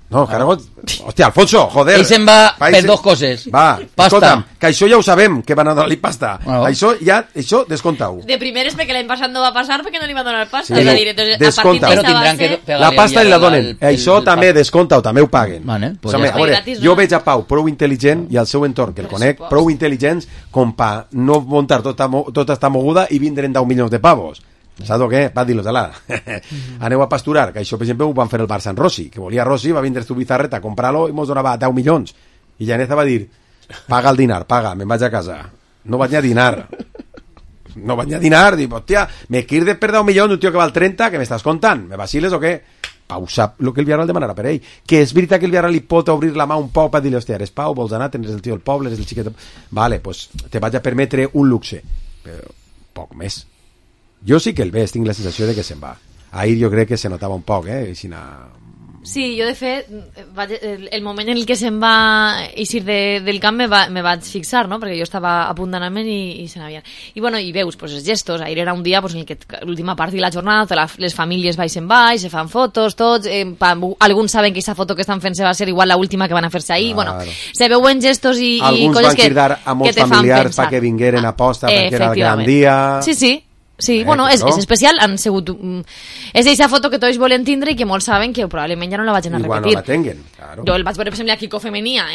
No, caragols... Hòstia, Alfonso, joder. Ell se'n va per dos coses. Va, escolta'm, que això ja ho sabem, que van a donar-li pasta. Això descompta-ho. De primeres perquè l'any passat no va passar perquè no li van donar pasta. Sí, descompta-ho. La pasta li la donen. Això també descompta-ho, també ho paguen. Jo veig a Pau prou intel·ligent i al seu entorn, que el conec, prou intel·ligents com per no muntar tota esta moguda i vindre'n 10 milions de pavos. Saps què? Va dir-los, aneu a pasturar, que això per exemple ho van fer el Barça en Rossi, que volia Rossi, va vindre Zubizarreta a comprar-lo i mos donava 10 milions i Llaneza va dir, paga el dinar, paga, me'n vaig a casa. No vaig a dinar, dic, hòstia, me quirdes per 10 milions un tio que val 30, que m'estàs contant, me vaciles o què? Pau sap el que el Villarreal demanarà per ell, que és veritat que el Villarreal li pot obrir la mà un poc per dir-li, hòstia, eres Pau, vols anar, tens el tio del poble, eres el xiquet, vale, pues te vaig a permetre un luxe, però poc més. Jo sí que el veig, tinc la sensació de que se'n va. Ahir jo crec que se notava un poc, Sí, jo de fet, el moment en el que se'n va eixir del camp me vaig fixar, no? Perquè jo estava a punt d'anar-me'n i se n'havien. I bueno, i veus, pues, els gestos, ahir era un dia pues, en el que l'última part de la jornada, les famílies baixen baix, se fan fotos, tots, alguns saben que aquesta foto que estan fent se va ser igual l'última que van a fer-se ahir, bueno, se veuen gestos i coses que te fan pensar. Alguns van cridar a molts familiars perquè vingueren a posta perquè era el gran dia. Sí. Sí, bueno, és especial, han sigut... És aquesta foto que tots volen tindre i que molts saben que probablement ja no la vagin a repetir. Igual no la tenguen, claro. Jo el vaig veure, per exemple, a Kiko Femenia,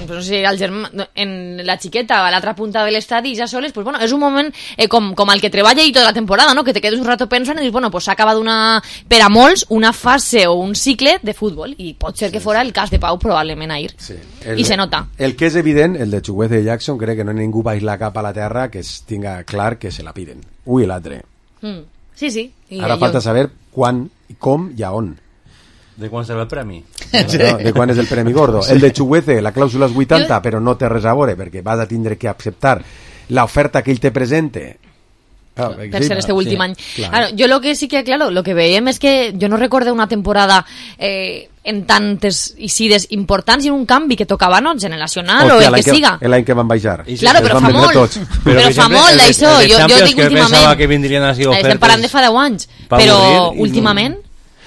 no sé, en la xiqueta, a l'altra punta de l'estadi, i ja soles, pues bueno, és un moment com el que treballa i tota la temporada, no? Que te quedes un rato pensant i dius, bueno, pues s'ha acabat per a molts una fase o un cicle de futbol, i pot ser que fora el cas de Pau probablement ahir. Sí. I se nota. El que és evident, el de Chukwueze i Jackson, crec que no ningú baix la capa a la terra que es tinga clar que se la piden. Ui, l'altre. Sí. Ara falta saber quan, com i a on. De quan serà el premi? No, de quan és el premi gordo. El de Chukwueze, la clàusula és 80, però no té res a veure, perquè vas a tindre que acceptar l'oferta que ell te presente. Per ser este últim any. Claro, jo lo que sí que, claro, lo que veiem és que jo no recordo una temporada en tantes isides importants i en un canvi que tocava, no? Generacional o el que siga. L'any que van baixar. Claro, però fa molt. Però fa molt d'això. Jo dic últimament. Estem parlant de fa 10 anys. Però últimament...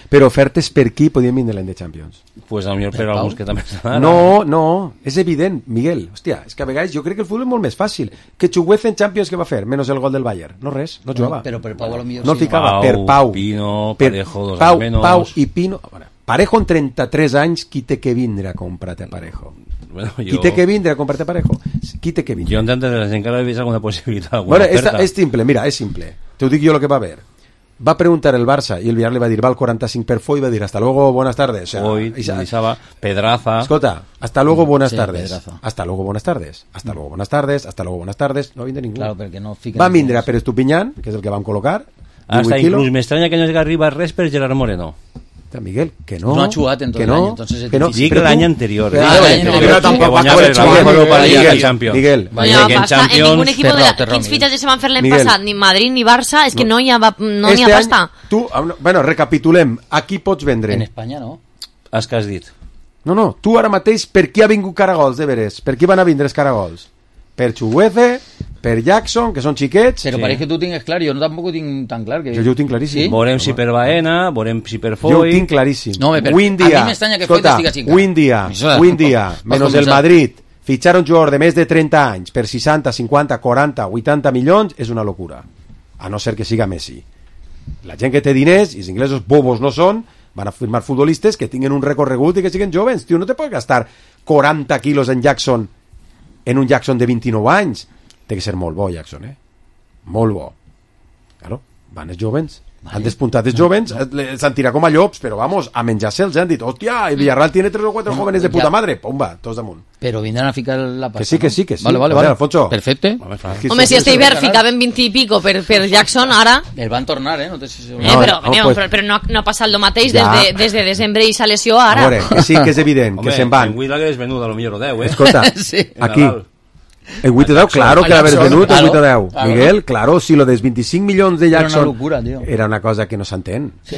Però ofertes per qui podien vindre l'any de Champions? Pues a millor per alguns que també estan. No, és evident, Miguel. Hòstia, és que a vegades jo crec que el futbol és molt més fàcil. Que Chukwueze en Champions què va fer? Menys el gol del Bayern. No res, no jugava. Però per Pau a lo millor no el ficava, per Pau. Pino, Parejo, dos anys menys. Pau i Pino. Parejo en 33 anys, qui té que vindre a comprar-te a Parejo? Qui té que vindre a comprar-te a Parejo? Qui té que vindre? Jo entenc que encara he vist alguna possibilitat, alguna bueno, oferta. És simple, mira, és simple. Te ho dic jo el que va haver. Va preguntar el Barça y el Villarreal le va a decir, va al 45 per Foy, va a decir, hasta luego, buenas tardes. O sea, Foy, Pedraza. Escolta, hasta luego, buenas tardes. Pedraza. Hasta luego, buenas tardes. Hasta luego, buenas tardes. Hasta luego, buenas tardes. No vindre ningú. Claro, perquè no fiquen... Va vindre a Pérez Tupiñán, que és el que van col·locar. Hasta inclús m'estranya que no arriba res per Gerard Moreno. Miguel, que no. No ha jugat en tot l'any, entonces és difícil. Dic l'any anterior. Però tampoc va guanyar el Champions. Miguel, en ningún equipo de quins fitxatges se van fer l'any passat, ni Madrid ni Barça, és que no hi ha pasta. Tu, bueno, recapitulem, a qui pots vendre? En Espanya no. Els que has dit. No, tu ara mateix, per qui ha vingut Caragols, de veres? Per qui van a vindre els Caragols? Per Chukwueze, per Jackson, que són xiquets. Però pareix que tu tingues clar, jo no tampoc ho tinc tan clar. Que... Jo ho tinc claríssim. Sí? Veurem si per Baena, veurem si per Foy... Jo ho tinc claríssim. No, però a mi m'estranya que Foy t'estiga xincat. Avui en dia, menos el Madrid, fitxar un jugador de més de 30 anys per 60, 50, 40, 80 milions és una locura. A no ser que siga Messi. La gent que té diners, i els inglesos bobos no són, van a firmar futbolistes que tinguin un recorregut i que siguin jovens. Tio, no te pots gastar 40 quilos en Jackson, en un Jackson de 29 anys. Té que ser molt bo, Jackson, Molt bo. Claro, van els jovens. Han despuntat els jovens, s'han tirat com a llops, però vamos, a menjar-se'ls, han dit, hòstia, el Villarreal tiene 3 o 4 jóvenes de puta madre, pumba, tots damunt. Pero vendrán a ficar la pasta. Que sí. Vale. Alfonso. Perfecto. Home, si este hivern ficaven 20 i pico per Jackson, ara... El van tornar, no té... però no ha passat el mateix des de desembre i sa lesió ara. A veure, que sí que és evident, que se'n van. En Huida que és venut a lo millor 10, Escolta, aquí... El 8 o 10, claro que l'haver venut el 8 o 10. Miguel, claro, si lo dels 25 milions de Jackson... Era una locura, tío. Era una cosa que no s'entén. Sí,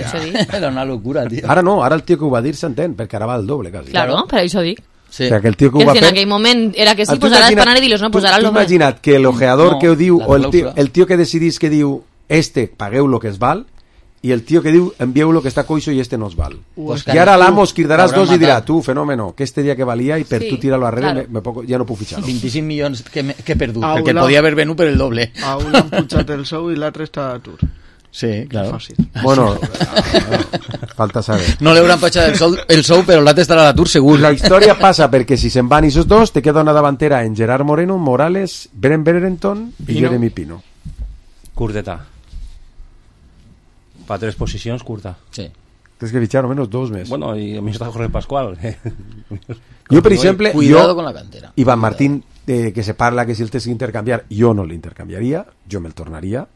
era una locura, tío. Ara no, ara el tio que ho va dir s'entén, perquè ara va al doble, quasi. Claro, per això dic. Sí. O sea, que el tio que ho va fer... en aquell moment era que sí, pues ara espanar i dir-los, no, pues ara el doble. Tu imagina't que l'ojeador que ho diu, o el tio que decidís que diu, pagueu lo que es val, i el tio que diu, envieu lo que està coixo i este no es val. I ara l'amos cridaràs dos i dirà, tu, fenòmeno, que este dia que valia i per tu tirar-lo arrere ja no puc fitxar. 25 milions que he perdut, perquè el podia haver venut per el doble. A un l'han pujat el sou i l'altre està a l'atur. Sí, claro. Bueno, falta saber. No li hauran pujat el sou, però l'altre estarà a l'atur segur. La història passa perquè si se'n van esos dos, te queda una davantera en Gerard Moreno, Morales, Beren Berenton i Jeremy Pino. Curteta. Para 3 posicions, curta. Sí. Tens que fitxar almenys 2 més. Bueno, i a mi està Jorge Pascual. Jo, per exemple, cuidado con la cantera. Iván Martín, que se parla que si el tens que intercanviar, jo no l'intercanviaria, jo me'l tornaria,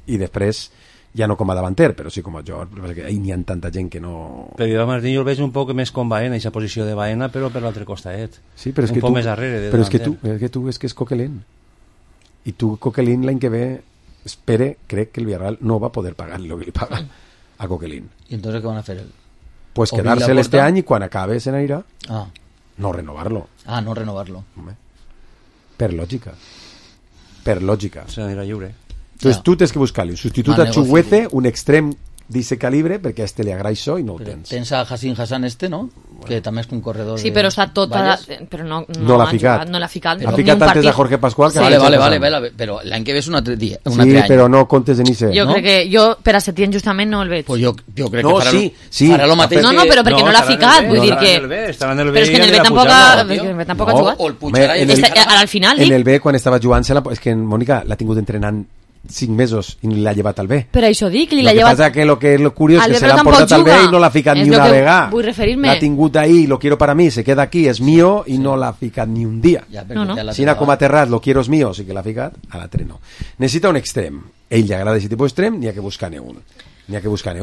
i després, ja no com a davanter, però sí com a jugador, perquè n'hi ha tanta gent que no... Però Iván Martín jo el veig un poc més com Baena, aquesta posició de Baena, però per l'altre costadet. Sí, però és que un poc més darrere. Però és que és Coquelin. I tu, Coquelin, l'any que ve... crec que el Villarreal no va poder pagar lo que li paga a Coquelin. ¿Y entonces qué van a hacer? Pues quedárselo este año y cuando acabe se irá. Ah. No renovarlo. Ah, no renovarlo. Per lògica. Per lògica. Se n'anirà lliure. Entonces tu tens que buscar-li un substitut a Chuguece, un extrem d'aquest calibre, perquè a este li agrada això i no el tens. Tens a Hassan Hassan no? Bueno. Que també és un corredor. Sí, però està tot... Però no l'ha ficat. No l'ha ficat. Ha ficat antes a Jorge Pascual. Sí. Vale, però l'any que ve és un altre dia. Sí, però no comptes en Ice. Jo crec que jo per a Setién justament no el veig. Pues jo crec que farà lo mateix. No, però perquè no l'ha ficat, vull dir que... Però és que en el B tampoc ha jugat. Ara al final, dic. En el B, quan estava jugant, és que Mònica l'ha tingut entrenant 5 mesos i l'ha llevat al B. Per això dic, li l'ha llevat... Lo que pasa que lo que es lo curioso es que se l'ha portat al B i no l'ha ficat ni una vegada. Vull referir-me. L'ha tingut ahí, lo quiero para mí, se queda aquí, es mío, i no l'ha ficat ni un dia. Si n'ha com aterrat, lo quiero es mío, sí que l'ha ficat, a l'altre no. Necessita un extrem. Ell li agrada aquest tipus d'extrem, n'hi ha que buscar-ne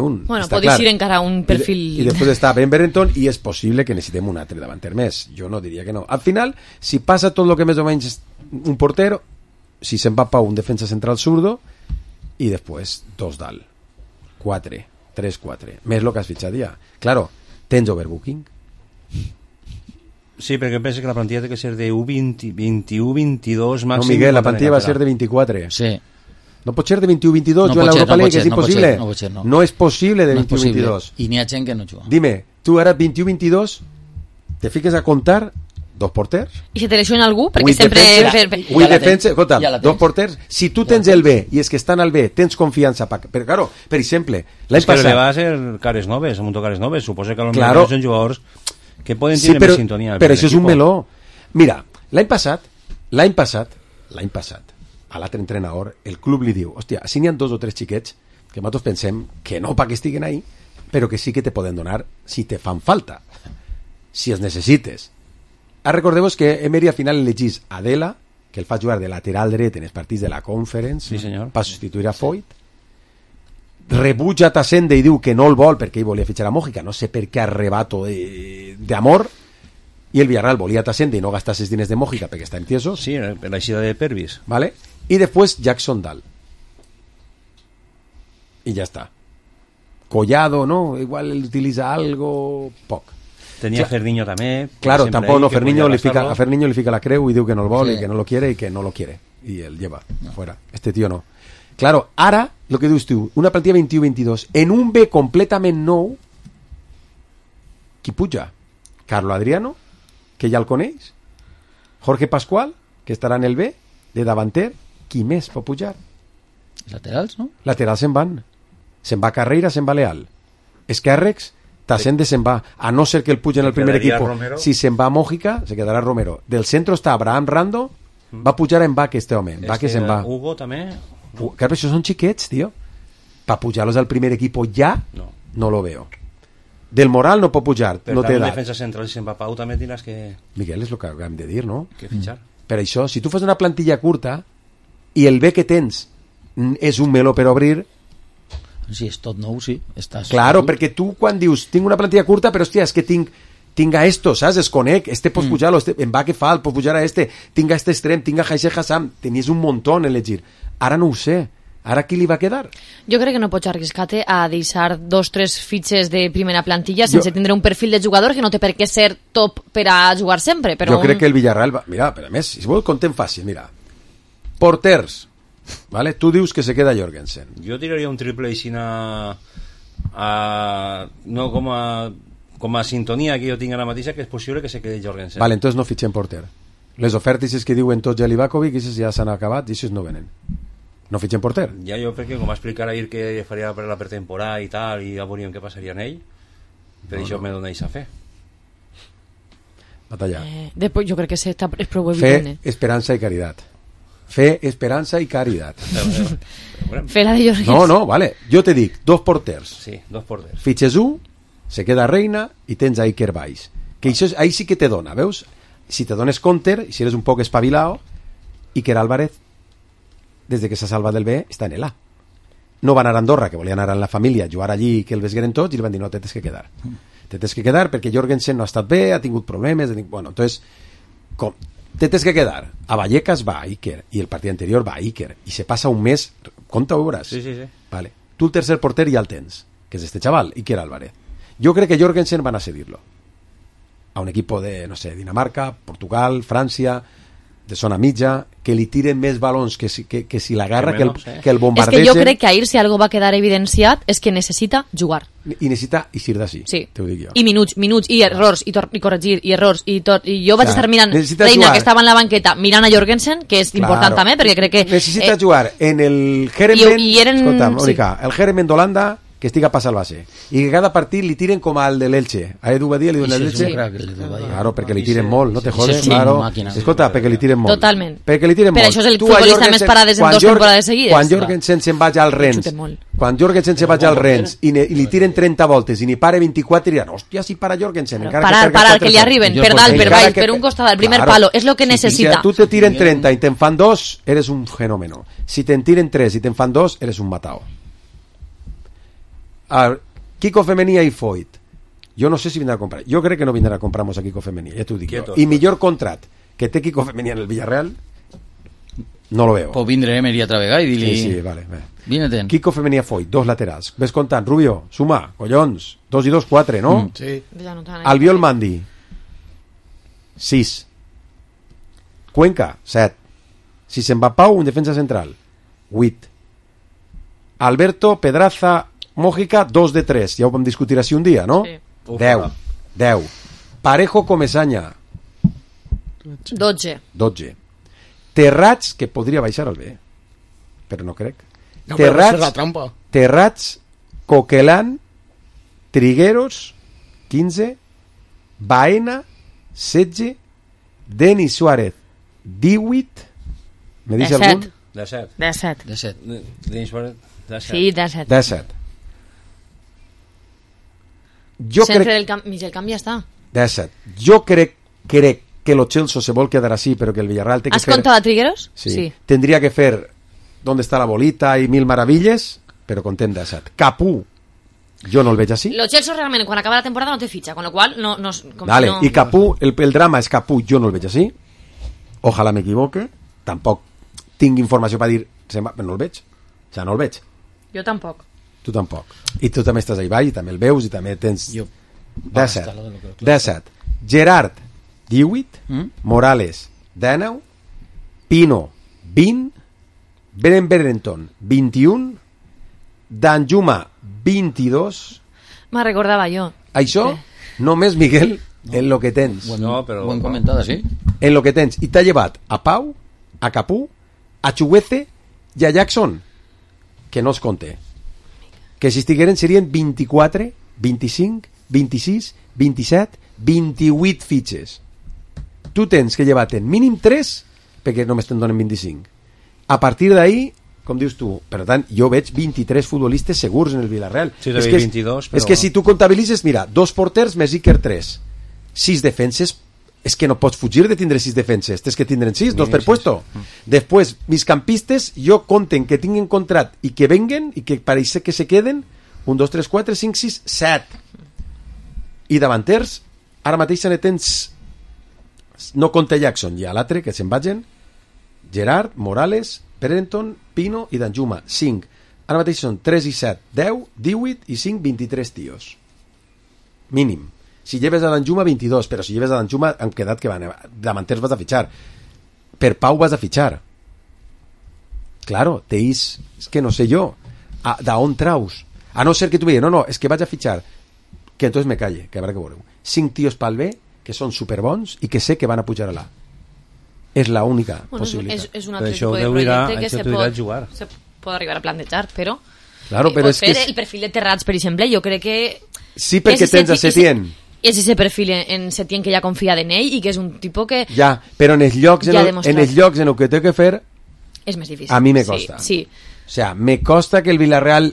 un. Bueno, podis ir encara un perfil... I després està Ben Berenton i és possible que necessitem un altre davanter més. Jo no diria que no. Al final, si passa tot el que més o menys un portero, si se'n va Pau, un defensa central zurdo, i després 2 dalt. 4, 3, 4. Més el que has fitxat ja. Claro, tens overbooking? Sí, perquè penso que la plantilla té que ser de U20, 21, 22 màxim. No, Miguel, la plantilla va ser de 24. Sí. No pot ser de 21-22, jo en l'Europa League, és impossible. No és possible de 21-22. I n'hi ha gent que no juga. Dime, tu ara 21-22 te fiques a contar 2 porters? I si te lesiona algú? Perquè sempre... Escolta, 2 porters. Si tu tens el B i és que estan al B, tens confiança. Però, claro, per exemple, l'any passat... És que va ser cares noves, mucho cares noves. Suposo que potser són jugadors que poden tenir més sintonia. Però això és un meló. Mira, l'any passat, a l'altre entrenador, el club li diu, hòstia, si n'hi ha 2 o 3 xiquets que nosaltres pensem que no perquè estiguen ahí, però que sí que te poden donar si te fan falta, si els necessites. Recordeu-vos que Emery al final elegís Adela, que el fa jugar de lateral dret en els partits de la Conference, per substituir a Foyt. Rebutja Tassende i diu que no el vol perquè ell volia fitxar a Mójica, no sé per què arrebato d'amor, i el Villarreal volia Tassende i no gastar els diners de Mójica perquè està entieso. Sí, per l'aixida de Pervis. ¿Vale? I després Jackson Dal. I ja està. Collado, ¿no? Igual utilitza algo poc. Tenia Ferniño també. Claro, tampoco no, Ferniño a Ferniño le fica la creu y diu que no el vol, y que no lo quiere y que no lo quiere. Y él lleva fuera. Este tío no. Claro, ara, lo que dius tu, una plantilla 21-22, en un B completament nou, qui puja? Carlo Adriano, que ja el coneix? Jorge Pascual, que estarà en el B, de davanter, qui més pot pujar? Laterals, no? Laterals se'n van. Se'n va Carreira, se'n va Leal. Esquerrecs, Tassende se'n va, a no ser que el puja en el primer equipo. Si se'n va Mójica, se quedarà Romero. Del centro està Abraham Rando, va pujar en Vaque este home. Vaque se'n va. Hugo també. Claro, això són xiquets, tio. para pujarlos al primer equipo ya, no lo veo. Del moral no pot pujar, Però no té també en edat. defensa central, si se'n va Pau, també tindràs que Miguel, és el que acabem de dir, no? fitxar. Per això, si tu fas una plantilla curta i el bé que tens és un meló per obrir... Si és tot nou, sí. Estàs... Claro, perquè tu quan dius tinc una plantilla curta, però hòstia, és que tinc a esto, saps? Es conec, pots pujar-lo, em va que fa, pots pujar a tinc a extrem, tinc a Haixer Hassam, tenies un muntó en elegir. Ara no ho sé. Ara qui li va quedar? Jo crec que no pots arriscar-te a deixar 2-3 fitxes de primera plantilla sense tindre un perfil de jugador que no té per què ser top per a jugar sempre. Però jo crec que el Villarreal va... Mira, però a més, si vol contem fàcil, mira. Porters, ¿vale? Tu dius que se queda Jorgensen. Jo tiraria un triple així no com a sintonia que jo tinc ara mateixa, que és possible que se quedi Jorgensen. Vale, entonces no fitxem porter. Les ofertes que diuen tots Livakovic, aquestes ja s'han acabat i aquestes no venen. No fitxem porter. Ja jo crec que com va explicar ahir que faria per la pretemporada i tal, i ja veuríem què passaria en ell, per això me doneix a fer. Batallar. Després jo crec que és prou Fe, evident. esperança i caritat. Fe, esperança i caritat. Fe la de Jorgensen. No, vale. Jo te dic, 2 porters. Sí, 2 porters. Fitxes 1, se queda Reina i tens a Iker Baix. Que això, ahí sí que te dona, veus? Si te dones counter, i si eres un poc espabilao, Iker Álvarez, des de que s'ha salvat del B, està en el A. No va anar a Andorra, que volia anar amb la família, jugar allí i que el vesgueren tots, i li van dir, no, te tens que quedar. Te tens que quedar perquè Jorgensen no ha estat bé, ha tingut problemes, bueno, entonces, com te tens que quedar. A Vallecas va Iker, i el partit anterior va Iker, i se passa un mes, compta ho veuràs. Sí. Vale. Tu el tercer porter ja el tens, que és este chaval, Iker Álvarez. Jo crec que Jorgensen van a cedirlo a un equipo de, no sé, Dinamarca, Portugal, Francia, de zona mitja, que li tiren més balons que si l'agarra, que el bombardegen. És que jo crec que ahir, si algo va quedar evidenciat, és que necessita jugar. I necessita eixir d'ací, sí. Te ho dic jo. I minuts, i errors, i corregir, i errors, i tot. I jo vaig estar mirant necessita Reina, jugar. que estava en la banqueta, mirant a Jorgensen, que és important també, perquè crec que... Necessita jugar en el Herenveen, escolta, Mónica, sí. el Herenveen d'Holanda, que estiga passant el base, i que cada partit li tiren com al de l'Elche. A Edu Badia li donen l'Elche. Claro, perquè li tiren molt, no te jodes, claro. Escolta, perquè li tiren molt. Totalment. Perquè li tiren per molt. això és el futbolista més parades en 2 temporades seguides. Quan Jorgensen se'n vaig al Rennes, i li tiren 30 voltes i ni pare 24, diran, hòstia, si para Jorgensen. Parar, que li arriben, per dalt, per baix, per un costat, al primer palo, és el que necessita. Si tu te tiren 30 i te'n fan 2, eres un fenómeno. Si te'n tiren 3 i te'n fan 2, eres un matao. Kiko Femenia i Foyt, jo no sé si vindrà a comprar, jo crec que no vindrà a comprar-nos a Kiko Femenia, ja t'ho dic jo. I millor contrat que té Kiko Femenia en el Villarreal no lo veo. Pues vindré Emery altra vegada i dir-li... Sí, vale. Vine-te'n. Kiko Femenia Foyt, 2 laterals, ves comptant, Rubio, suma, collons, 2 i 2, 4, no? Sí. Albiol Mandi 6, Cuenca 7, si se'n va Pau, un defensa central 8, Alberto Pedraza Mójica, 2 de 3, ja ho vam discutir així un dia, no? Sí. 10. Parejo Comesaña 12. Terrats, que podria baixar al B, però no crec. No, però és la trampa. Terrats, Coquelán, Trigueros 15, Baena 16, Denis Suárez 18, me dice algun? 17. Denis Suárez 17. Sí, 17. 17. Jo Centre crec... del camp, mig del camp ja està. 17. Jo crec que lo Chelsea se vol quedar así, però que el Villarreal té que ¿Has fer... contado a Trigueros? Sí. Tendría que fer ¿Dónde está la bolita? Y mil maravilles, però contem 17. Capú, jo no el veig així. Lo Chelsea realment, quan acaba la temporada no té fitxa, con lo cual no... Vale, no... I Capú, el drama és Capú, jo no el veig així. Ojalà m'equivoque. Tampoc tinc informació per dir, però no el veig. O sigui, no el veig. Jo tampoc. Tu tampoc. I tu també estàs ahí baix, i també el veus, i també tens... 17. Gerard, 18. Morales, 19. Pino, 20. Berenton, 21. Danjuma, 22. Me recordava jo. Això, només, Miguel, en lo que tens. No, però... Buen comentada, sí. En lo que tens. I t'ha llevat a Pau, a Capú, a Chuguece i a Jackson, que no es compte. Que si estigueren serien 24, 25, 26, 27, 28 fitxes. Tu tens que llevar-te'n mínim 3, perquè només te'n donen 25. A partir d'ahí, com dius tu, per tant, jo veig 23 futbolistes segurs en el Villarreal. Sí, és que 22, però... És que si tu comptabilitzes, mira, 2 porters més Iker 3, 6 defenses, és que no pots fugir de tindre 6 defenses, tens que tindre 6, 2 per puesto. Després, migcampistes, jo compten que tinguin contrat i que venguen, i que pareix que se queden, 1, 2, 3, 4, 5, 6, 7. I davanters, ara mateix ne tens, no compta Jackson, i a l'altre, que se'n vagin, Gerard, Morales, Prenton, Pino i Danjuma, 5. Ara mateix són 3 i 7, 10, 18 i 5, 23 tios. Mínim. Si lleves a Danjuma, 22, però si lleves a Danjuma han quedat que van, davanters vas a fitxar. Per Pau vas a fitxar. Claro, teis, és que no sé jo, d'on traus? A no ser que tu diguis, no, és que vaig a fitxar, que entonces me calle, que habrá que veure. 5 tios pel B, que són superbons i que sé que van a pujar a l'A. És la única possibilitat. És un altre tipus de projecte que se pot arribar a plantejar, però... Claro, però és que... El perfil de Terrats, per exemple, jo crec que... Sí, perquè tens a Setién. És ese perfil en Setién que ja confia en ell i que és un tipus que... Ja, però en els llocs en el que té que fer... És més difícil. A mi me costa. Sí. O sea, me costa que el Villarreal...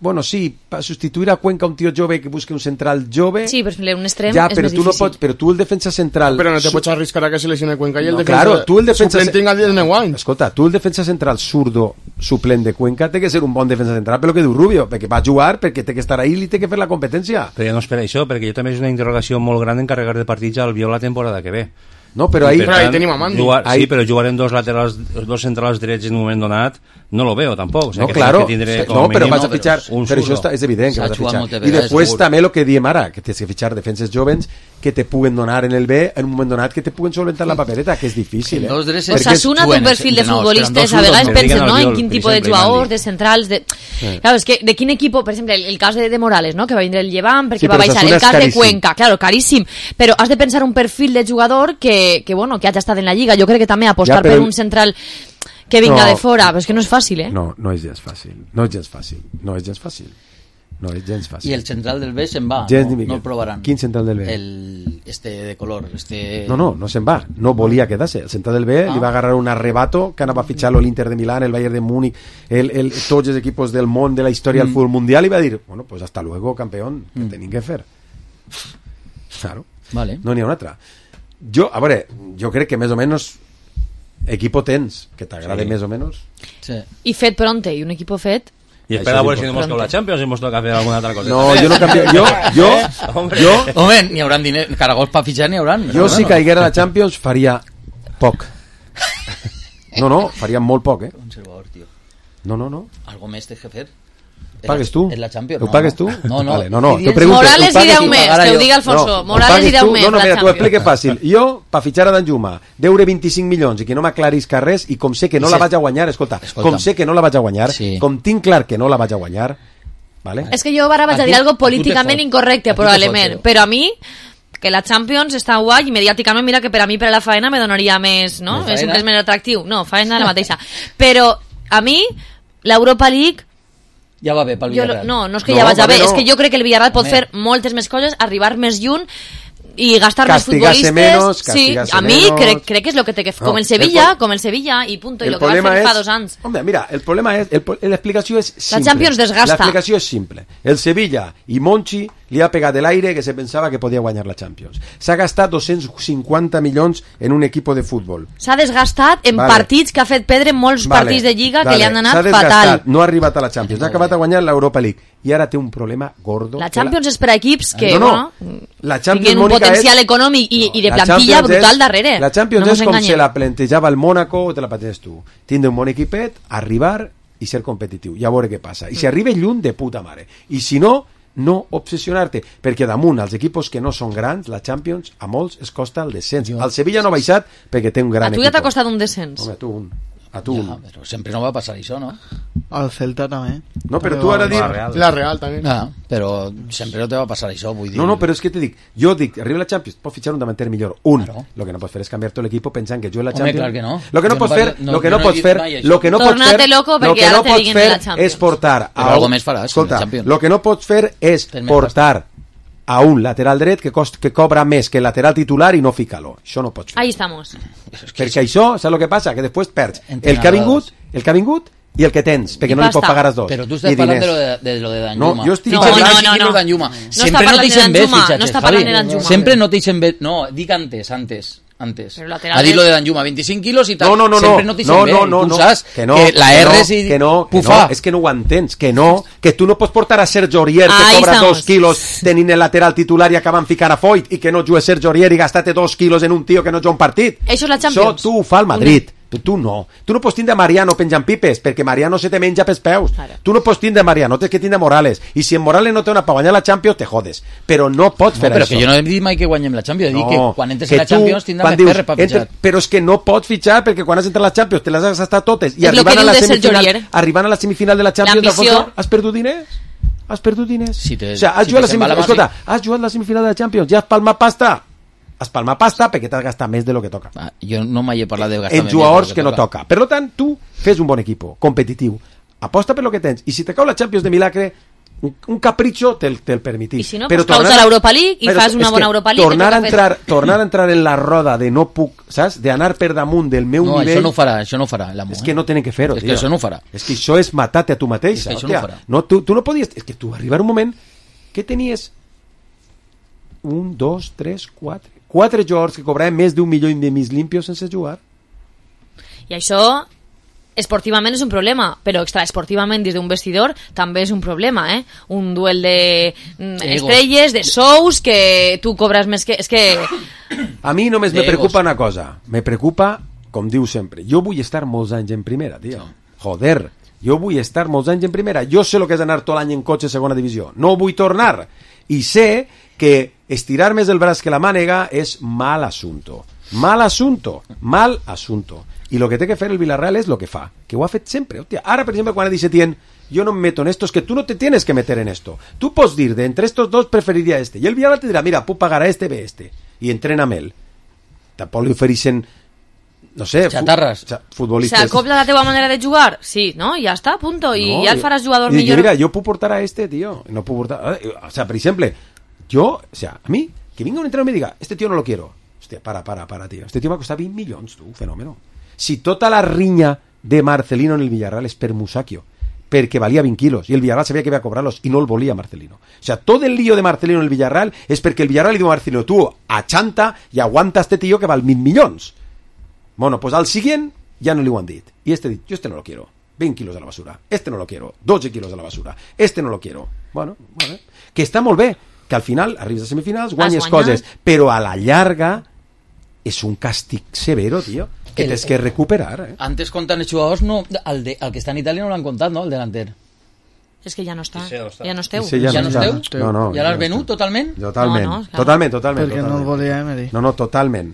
Bueno, sí, para sustituir a Cuenca un tío jove que busque un central jove... Sí, però un extrem ja, és però més tu difícil. No pots, però tu el defensa central... Però no te pots arriscar a que se lesione Cuenca i el defensa... Claro, tu el defensa... Suplent tinga 19 anys. Escolta, tu el defensa central zurdo suplent de Cuenca té que ser un bon defensa central, però que diu Rubio, perquè va jugar, perquè té que estar ahí i li té que fer la competència. Però ja no és per això, perquè jo també és una interrogació molt gran encarregar de partits al Viol la temporada que ve. No, però ahí tenim a Mandi. Sí, però jugar en dos centrals drets en un moment donat no lo veo tampoc. O sea, no, que claro, no, però vas a fitxar, però això és evident que vas a fitxar. I després també el que diem ara, que tens que fitxar defenses jovens que te puguen donar en el B en un moment donat que te puguen solventar la papereta, que és difícil. Osasuna té un perfil de futbolistes, a vegades pensen, no?, en quin tipus de jugadors, de centrals, de... Claro, és que de quin equip, per exemple, el cas de Morales, no?, que va vindre el Llevant perquè va baixar, el cas de Cuenca, claro, caríssim, però has de pensar un perfil de jugador que bueno, que hagi estat en la Lliga. Jo crec que també apostar per un central que vinga de fora, però és que no és fàcil, eh? No és gens fàcil. I el central del B se'n va, no el provaran. Quin central del B? Este de color. No se'n va, no volia quedar-se. El central del B li va agarrar un arrebato que anava a fitxar l'Inter de Milán, el Bayern de Múnich, tots els equipos del món de la història del futbol mundial, i va dir, bueno, pues hasta luego, campeón, que tenim que fer. Claro, vale. No n'hi ha una altra. A veure, jo crec que més o menys equipo tens, que t'agrade més o menys. Sí. I fet pronte, i un equipo fet... Y espera a ver si no hemos la Champions y hemos tocado hacer alguna otra cosa. No, yo no cambio. Yo Hombre, ni hauran dinero, caragols para fichar ni hauran. Jo si caiguera a la Champions faria poc. No, faria molt poc, Conservador, tío. No. Algo més té que fer. Pagues tu? En la Champions, ho pagues tu? No. Vale, no. Morales i 10 més, que ho diga Alfonso. Morales i 10 més. No, mira, t'ho explico fàcil. Jo, per fitxar a Danjuma, deure 25 milions i que no m'aclarisca res, i com sé que no la vaig a guanyar, escolta, com sé que no la vaig a guanyar, com tinc clar que no la vaig a guanyar, vale? És que jo ara vaig a dir algo políticament incorrecte, probablement, però a mi que la Champions està guai i mediàticament, mira que per a mi, per a la faena, me donaria més, no? És més atractiu. No, faena la mateixa. Però a mi, l'Europa League ja va bé pel Villarreal. No és que ja vagi bé, és que jo crec que el Villarreal pot fer moltes més coses, arribar més lluny i gastar més futbolistes. Sí, a mi crec que és el que té que fer. Com el Sevilla i punto, i el que va fer fa 2 anys. Home, mira, el problema és, l'explicació és simple. La Champions desgasta. L'explicació és simple. El Sevilla i Monchi li ha pegat de l'aire que se pensava que podia guanyar la Champions. S'ha gastat 250 milions en un equip de futbol. S'ha desgastat en partits que ha fet perdre molts partits de Lliga que li han anat fatal. No ha arribat a la Champions, ha acabat a guanyar l'Europa League i ara té un problema gordo. La Champions és per a equips que la Champions, tinguin un potencial econòmic i de plantilla brutal darrere. La Champions és com se la plantejava el Mónaco o te la planteges tu. Tindre un bon equipet, arribar i ser competitiu, i a veure què passa. I si arriba lluny, de puta mare. I si no obsessionar-te, perquè damunt els equips que no són grans, la Champions a molts es costa el descens. El Sevilla no ha baixat perquè té un gran equip. A tu ja t'ha costat un descens. Home, a tu un. Però sempre no va passar això, no? Al Celta també. No, però tu ara dius... La Real també. Però sempre no te va passar això, vull dir... No, però és que te dic, jo dic, arriba la Champions, pots fitxar un davanter millor, lo que no pots fer és canviar tot l'equip pensant que jo la Champions... Home, clar que no. Lo que no pots fer, Tornar-te loco perquè ara te diguin la Champions. És portar... Però algo més faràs, escolta, lo que no pots fer és portar a un lateral dret que cobra més que el lateral titular i no fica-lo. Això no pots fer. Ahí estamos. Perquè això, saps el que passa? Que després perds el que ha vingut i el que tens, perquè no li pots pagar els dos. Però tu estàs parlant de lo de Danjuma. No, jo estic parlant de Danjuma. Sempre no t'eixen bé fitxatges, Javi. Sempre no t'eixen bé. No, dic antes. Ha dit lo de Danjuma, 25 quilos i tal. No. Sempre no t'eixen bé. Tu saps que la R que no, és que no ho entens, que tu no pots portar a Sergio Aurier, que cobra 2 quilos tenint el lateral titular i acaben ficant a Foyt, i que no jugue Sergio Aurier i gastar-te 2 quilos en un tio que no juga un partit. Això és la Champions. Això tu ho fa el Madrid. Tu no pots tindre Mariano penjant pipes, perquè Mariano se te menja pels peus. Tu no pots tindre Mariano, tens que tindre Morales, i si en Morales no té una per guanyar la Champions te jodes, però no pots fer però això. Que jo no he dit mai que guanyem la Champions, he dit que quan entres a la Champions tindràs més ferre per fitxar. Però és que no pots fitxar, perquè quan has entrat a la Champions te les has gastat totes, i arribant a la semifinal de la Champions has perdut diners? Has jugat la semifinal de la Champions, ja has palmat pasta perquè t'has gastat més de lo que toca. Jo no mai he parlat de gastar en jugadors que no toca. Per tant, tu fes un bon equip, competitiu, aposta per lo que tens, i si te cau la Champions de milagre, un capritxo te'l permitís. I si no, pues caus a l'Europa League i fas una bona Europa League. Tornar a entrar en la roda de no puc, saps? D'anar per damunt del meu nivell... No, això no ho farà l'amo. És que no tenen que fer-ho, tio. És que això no ho farà. És que això és matar-te a tu mateix. És que això no ho farà. No, tu no podies... És que tu arribar un moment que tenies 1, 2, 3, 4 jugadors que cobraven més d'1 milió de mig limpios sense jugar. I això esportivament és un problema, però extraesportivament des d'un vestidor també és un problema, un duel de estrelles, de sous, que tu cobres més que... És que... A mi només me preocupa una cosa, me preocupa, com diu sempre, jo vull estar molts anys en primera, tio. Joder, jo vull estar molts anys en primera, jo sé el que és anar tot l'any en cotxe a segona divisió, no vull tornar, i sé que estirar més el braç que la mànega és mal asunto. I lo que té que fer el Villarreal és lo que fa, que ho ha fet sempre. Hòstia, ara, per exemple, quan ha dit Setién, yo no me meto en esto, es que tú no te tienes que meter en esto. Tú pots dir, de entre estos dos preferiria este. Y el Villarreal te dirà, mira, puc pagar a este, ve este. I entrena amb ell. Tampoc li ofereixen, no sé, xatarres. Futbolistes. ¿S'acopla la teva manera de jugar? Sí, ¿no? Ya está, punto. Y no, ya el faràs jugador millor. Mira, yo puc portar a este, tío. No puc portar... O sea, por ejemplo, yo, o sea, a mí, que venga un entrenador y me diga, este tío no lo quiero. Hostia, para, tío. Este tío me ha costado 20 milions, tu, fenómeno. Si tota la riña de Marcelino en el Villarreal és per Musacchio, perquè valia 20 quilos, i el Villarreal sabia que iba a cobrarlos, i no el volia Marcelino. O sea, todo el lío de Marcelino en el Villarreal és perquè el Villarreal li diu a Marcelino, tú achanta y aguanta a este tío que val 1.000 milions. Bueno, pues al siguiente ya no li ho han dit. Y este dit, yo este no lo quiero. 20 kilos a la basura. Este no lo quiero. 12 kilos a la basura. Este no lo quiero. Bueno, vale. Que està molt bé, que al final arribes a semifinals, guanyes coses, però a la llarga és un càstig severo, tio, que tens que recuperar. Antes comptant els jugadors, no, el que està en Itàlia no l'han comptat, no?, el delanter. És que ja no està. Ja no esteu. Ja no esteu? Ja l'has venut totalment? Totalment. Perquè no el volia Emery. No, totalment.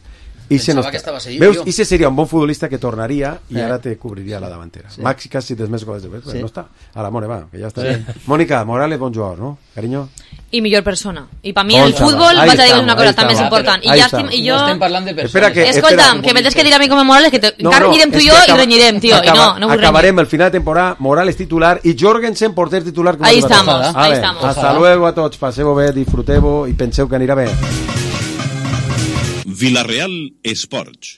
Pensava que estava seguit, veus, ese seria un bon futbolista que tornaria i ara te cobriria la davantera. Maxi casi tens més goles de vez, no està. A la More, va, que ja està. Mónica, Morales, bon jugador, no? Cariño? I millor persona. I per mi el futbol, vaig a dir una cosa també és important. I jo... Estem parlant de persones. Escolta'm, que me tens que dir a mi com a Morales, que encara anirem tu i jo i renyirem, tio. I no vull renyir. Acabarem el final de temporada, Morales titular i Jorgensen porter titular. Ahí estamos, ahí estamos. Hasta luego a tots, passeu bé, disfruteu i penseu que anirà bé. Villarreal Esports.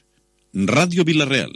Ràdio Villarreal.